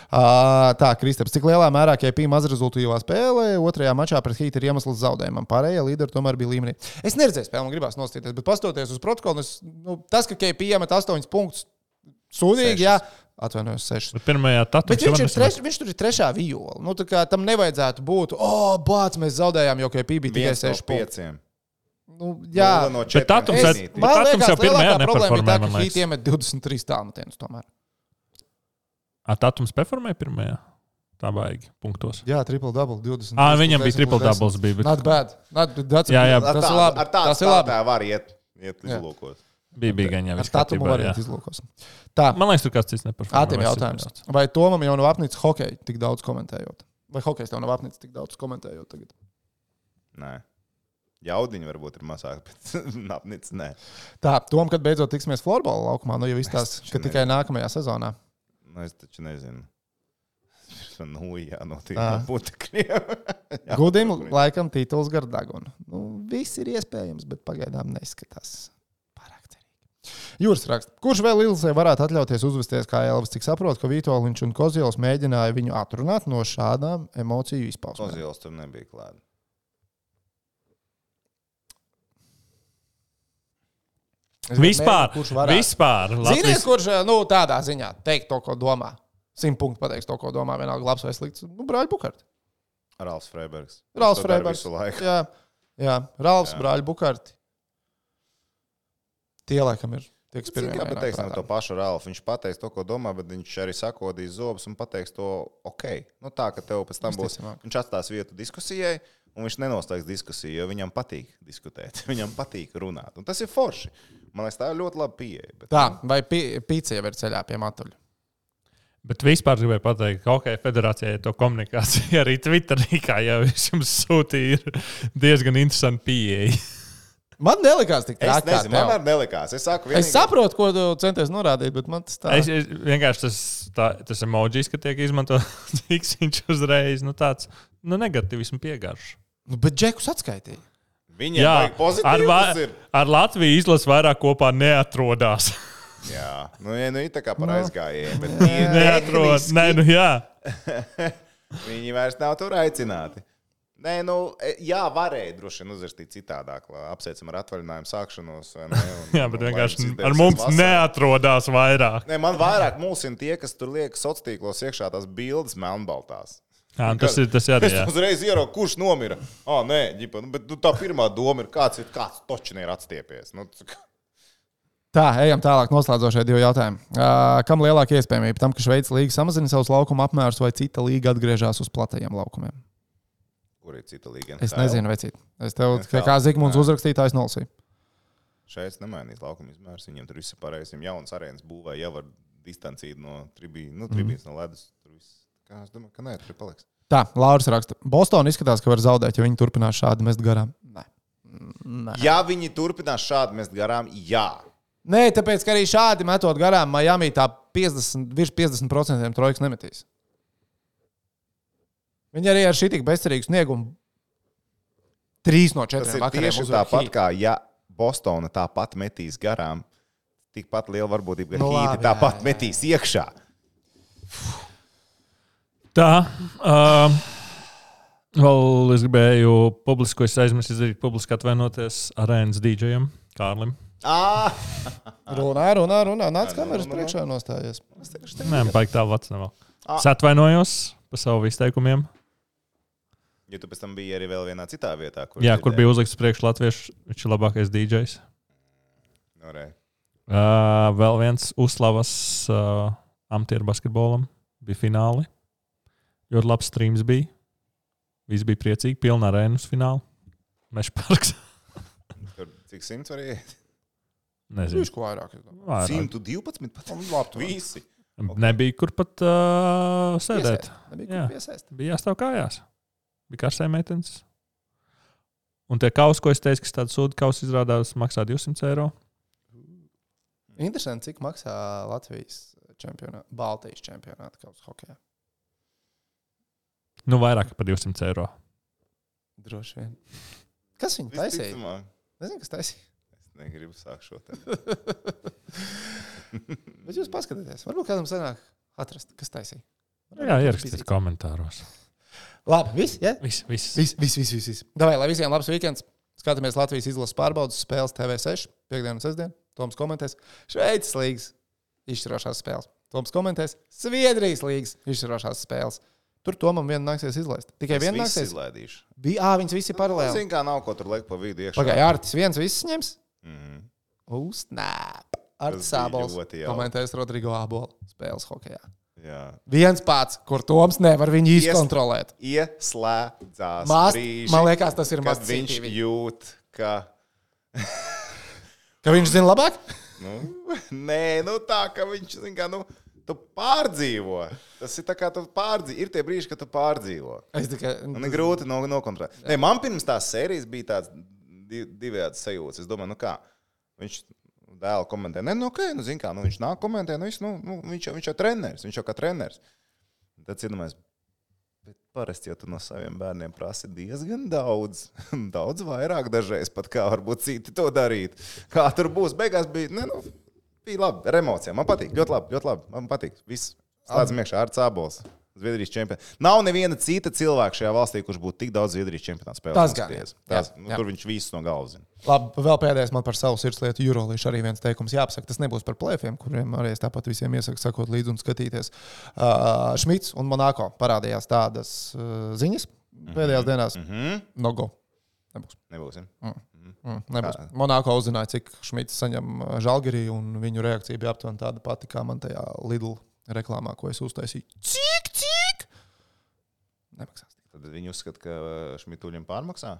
S5: Tā, Kristaps, cik lielā mērā KP mazrezultīvā spēlē otrajā mačā pret Heat ir iemesls zaudējumam? Pārējie līderi tomēr bija līmenī. Es neredzēju spēli, man gribās nostīties, bet pastoties uz protokolu, tas, ka KP iemet 8 punktus, sūdīgi, jā, atvainojos 6.
S2: Pirmajā tatā.
S5: Bet viņš tur ir trešā viola. Tā kā tam nevajadzētu būt, bāc, mēs zaudējām, jo KP bija tikai 6 punkti. Jā,
S2: bet Tatums jau pirmajā
S5: problēma ir tā,
S2: neperformē,
S5: ka Heat iemet 23 tālmetienus tomēr.
S2: Tatums performēja pirmajā? Tā baigi punktos.
S5: Jā, triple-double, 20.
S2: Viņam bija triple-doubles.
S5: Not bad.
S2: Jā.
S5: Tas ir labi.
S3: Tas ir labi. Tā var iet izlūkos.
S2: Bija gan jau.
S5: Ar Tatumu var iet izlūkos. Tā.
S2: Man liekas, tur kāds cits neperformē.
S5: Ātrim jautājums. Vai Tomam jau nav apnicis hokeju tik daudz komentējot? Vai hokejs tev nav apnicis tik daudz komentējot tagad?
S3: Nē. Jaudiņi varbūt ir mazāk, bet apnicis nē.
S5: Tā, Tom, kad beidzot tiksimies florbola laukumā, jau izstāsta, ka tikai nākamajā sezonā.
S3: Es taču nezinu. Jānotiek no putekļiem.
S5: Gudim laikam tituls gar dagunu. Viss ir iespējams, bet pagaidām neskatās pārāk cerīgi. Jūras raksta. Kurš vēl Ilzē varētu atļauties uzvesties kā Elvis? Cik saprot, ka Vitoļņš un Kozils mēģināja viņu atrunāt no šādām emociju izpausmēm?
S3: Kozils tur nebija klāt.
S2: Vispār.
S5: Ziniet, kurš tādā ziņā teikt to, ko domā. 100 punktu pateiks to, ko domā. Vienalga labs vai slikts. Brāļa Bukārta.
S3: Ralfs Freibergs.
S5: Jā, Ralfs, Brāļa Bukārti. Tie laikam ir.
S3: Jā, bet teiks to pašu Ralfu. Viņš pateiks to, ko domā, bet viņš arī sakodīs zobus un pateiks to ok. Tā, ka tev pēc tam būs. Viņš atstās vietu diskusijai. Un viņš nenoslēgs diskusiju, jo viņam patīk diskutēt. Viņam patīk runāt. Un tas ir forši. Man liekas, tā ir ļoti laba pieeja. Bet...
S5: Tā, vai pīcija jau ir ceļā pie matuļa?
S2: Bet vispār gribēju pateikt, ka OK, federācijai to komunikāciju arī Twitterī, kā jau viņš jums sūtīja, ir diezgan interesanti pieeja.
S5: Man nelikās tik traki.
S3: Es nezinu, man arī nelikās. Es
S5: saprotu, ko tu centies norādīt, bet man tas tā.
S2: Es vienkārši tas emojis, ka tiek izmanto viņš uzreiz, tāds, negativismu piegaršu.
S5: Bet Džekus atskaitīja.
S3: Viņam vajag pozitīvs.
S2: Ar Latviju izlases vairāk kopā neatrodās.
S3: Jā, ir tā kā par aizgājienu.
S2: Neatrodas. Jā.
S3: Viņi vairs nav tur aicināti. Nē, jā, varēja droši vien uzrakstīt citādāk. Apsveicam ar atvaļinājumu sākšanos.
S2: Jā, bet vienkārši ar mums neatrodās vairāk.
S3: Nē, man vairāk mulsina tie, kas tur liek sociālos tīklos iekšā tās bildes melnbaltās.
S2: Jā, tas ir arī.
S3: Es uzreiz ieraugu, kurš nomira. Nē, ģipa, bet tā pirmā doma ir, kāds točni ir atstiepies.
S5: Tā, ejam tālāk. Noslēdzošie 2 jautājumi. Kam lielāka iespējamība tam, ka Šveices līga samazina savus laukuma apmērus, vai cita līga atgriežas uz platajiem laukumiem?
S3: Kur ir cita līga?
S5: Es nezinu, vai cita. Es tev, kā Zigmunds uzrakstītājs, nolasīju.
S3: Šeit nemainīs laukuma izmērs. Viņiem tur viss ir pareizi. Viņiem jaunas arēnas būvē jau var distancīt no tribīnas, no ledus. Kā es domāju, ka nē, tur paliks.
S5: Tā, Lauris raksta. Bostonā izskatās, ka var zaudēt, ja viņi turpinās šādi mest garām. Nē.
S3: Ja viņi turpinās šādi mest garām, jā.
S5: Nē, tāpēc, ka arī šādi metot garām, Miami tā virs 50% trojkas nemetīs. Viņi arī ar šī tik bezcerīgu sniegumu 3 no 4
S3: vakariem. Tas ir tieši tāpat, kā ja Bostona tāpat metīs garām, tikpat liela varbūtība, ka Hīti tāpat metīs iekšā.
S2: Tā. Vēl es gribēju publiski, ko es aizmirsu izdarīt, publiski atvainoties arēnas DJam, Kārlim.
S5: Runā. Nāc kameras priekšā nostājies.
S2: Nē, baigi tā vats nav. Es atvainojos par savu izteikumiem.
S3: Ja tu pēc tam biji arī vēl vienā citā vietā,
S2: Kur bija uzlikts priekš latviešu, viņš ir labākais DJs.
S3: Norē.
S2: Vēl viens uzslavas amatieru basketbolam. Bija fināli. Ļoti labs streams bija. Visi bija priecīgi. Pilna arēna uz finālu. Meža parks.
S3: Tur cik 100 var iet?
S2: Nezinu.
S5: Viņš ko vairāk.
S3: 112 pat. Visi.
S2: Nebija kur pat sēdēt.
S5: Nebija kur piesaist.
S2: Bija jāstāv kājās. Bija karsē meitenes. Un tie kausi, ko es teicu, ka tāda sūda kausa izrādās maksā 200 eiro.
S5: Interesanti, cik maksā Latvijas čempionāta, Baltijas čempionāta kausa hokejā.
S2: Nu, vairāk par 200 eiro.
S5: Droši vien. Kas viņu taisīja?
S3: Visticamāk.
S5: Nezinu, kas taisīja.
S3: Es negribu sākt šo te.
S5: Bet jūs paskatieties. Varbūt kādam sanāk atrast, kas taisīja.
S2: Jā, ierakstiet komentāros.
S5: Labi, viss, ja?
S2: Viss.
S5: Davai, lai visiem labs weekends. Skatāmies Latvijas izlases pārbaudas spēles TV6, piekdienu un sestdienu. Toms komentēs Šveices līgas izšķirošās spēles. Toms komentēs Zviedrijas līgas izšķirošās spēles. Tur Tomam vienu nāksies izlaist. Tikai vienu nāksies.
S3: Izlaidīšu.
S5: Viņas visi paralēli.
S3: Zinu, kā nav ko tur liek pa vidu iekšā.
S5: Pagaid, Artis viens viss ņems? Snap. Artis
S3: bija
S5: Ābols
S3: ļoti jauki.
S5: komentēs Rodrigo Ābola spēles hokejā.
S3: Jā.
S5: Viens pats, kur Toms nevar viņu izkontrolēt.
S3: Ieslēdzās brīži,
S5: Man liekas, tas ir
S3: kad
S5: maz
S3: viņš jūt, ka...
S5: Ka viņš zina labāk?
S3: Nē, tā, ka viņš, zin kā, tu pārdzīvo. Tas ir tā kā tu pārdzīvo. Ir tie brīži, kad tu pārdzīvo.
S5: Es tikai...
S3: Man ir grūti nokontrolēt. Nē, man pirms tās sērijas bija tāds divējāds sajūts. Es domāju, viņš dēlu komentē. Zin kā, viņš nāk komentē, viņš jau treneris, viņš jau kā treneris. Tad iedomājies, bet parasti jau tu no saviem bērniem prasi diezgan daudz. Daudz vairāk dažreiz pat, kā varbūt citi to darīt. Kā tur būs, beigās bija, bija labi, ar emocijām. Man patīk, ļoti labi, man patīk. Viss slēdzam iekšā, Artis Ābols, Zviedrijas čempions. Nav neviena cita cilvēka šajā valstī, kurš būtu tik daudz Zviedrijas čempionāta spēlēs. Tur viņš visus no galvas zina.
S5: Labi, vēl pēdējais man par savu sirdslietu Eurolīšu arī viens teikums jāapsaka. Tas nebūs par plēfiem, kuriem arī es tāpat visiem iesaku sakot līdzi un skatīties. Šmits un Monako parādījās tādas ziņas pēdējās dienās. No go.
S3: Nebūs, ja?
S5: Nebūs. Monako uzzināja, cik Šmits saņem Žalgirī, un viņu reakcija bija aptuveni tāda pati, kā man tajā Lidl reklāmā, ko es uztaisīju. Cik? Nemaksās.
S3: Tad viņi uzskata, ka Šmituļiem pārmaksā?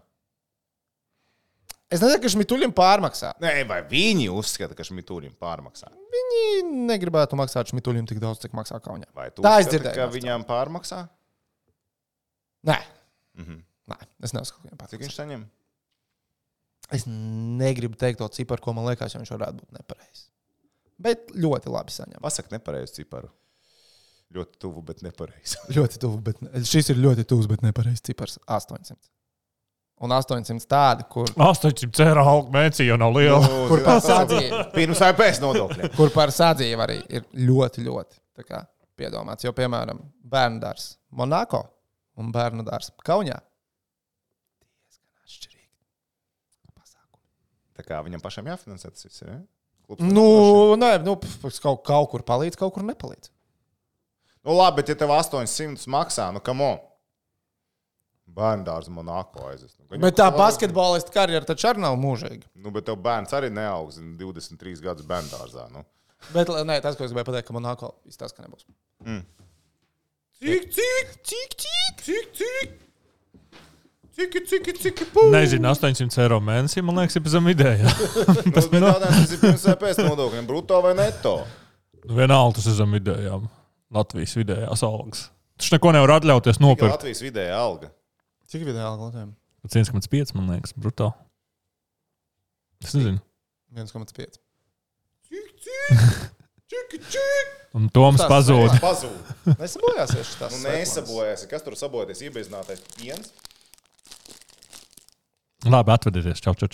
S5: Es nezinu, ka Šmituļiem pārmaksā.
S3: Nē, vai viņi uzskata, ka Šmituļiem pārmaksā?
S5: Viņi negribētu maksāt Šmituļiem tik daudz, cik maksā Kaunijā.
S3: Vai tu
S5: Tā
S3: uzskati, ka viņām pārmaksā?
S5: Nē. Nē, es neuzskatu, ka viņam
S3: Cik viņš saņem?
S5: Es negribu teikt to ciparu, ko man liekas, jo viņš varētu būt nepareizs. Bet ļoti labi saņem.
S3: Pasaka nepareizu ciparu. Ļoti tuvu, bet nepareizi.
S5: Ļoti tuvu, bet šis ir ļoti tuvs, bet nepareizs cipars. 800. Un 800 tādi, kur...
S2: 800 eiro alga mēnesī jau nav liela.
S5: Kur par sadzīvi.
S3: Pirms vai pēc nodokļiem.
S5: Kur par sadzīvi arī ir ļoti tā kā piedomāts. Jo, piemēram, bērnu dārs Monako un bērnu dārs Kaunijā. Diezgan atšķirīgi pasākumi.
S3: Tā kā viņam pašam jāfinansē tas viss, ja?
S5: Kaut kur palīdz, kaut kur nepalīdz.
S3: Labi, bet ja tev 800 maksā, come on. Bērndārs Monako aizies.
S5: Bet tā basketbolista karjera taču arī nav mūžīga.
S3: Bet tev bērns arī neaugs 23 gadus bērndārzā.
S5: Bet nē, tas, ko es gribēju pateikt, ka Monako izstāsta, ka nebūs. Cik,
S2: Nezinu, 800 eiro mēnesī, man liekas, ir zem vidējā.
S3: Tas ir pirms vai pēc nodokļiem, bruto vai neto?
S2: Vienalga tas ir zem vidējām. Latvijas vidējās algas. Taču neko nevar atļauties nopirkt.
S3: Latvijas vidējā alga.
S5: Cik vidēji alga Latvijam?
S2: 1,5, man liekas, bruto. Es nezinu.
S5: 1,5.
S2: Un Toms pazūd.
S5: Nesabojāsies šitās.
S3: Nesabojāsies. Kas tur sabojāties? Iebeznātais piens?
S2: Labi, atvadieties. Čau.
S3: Čau.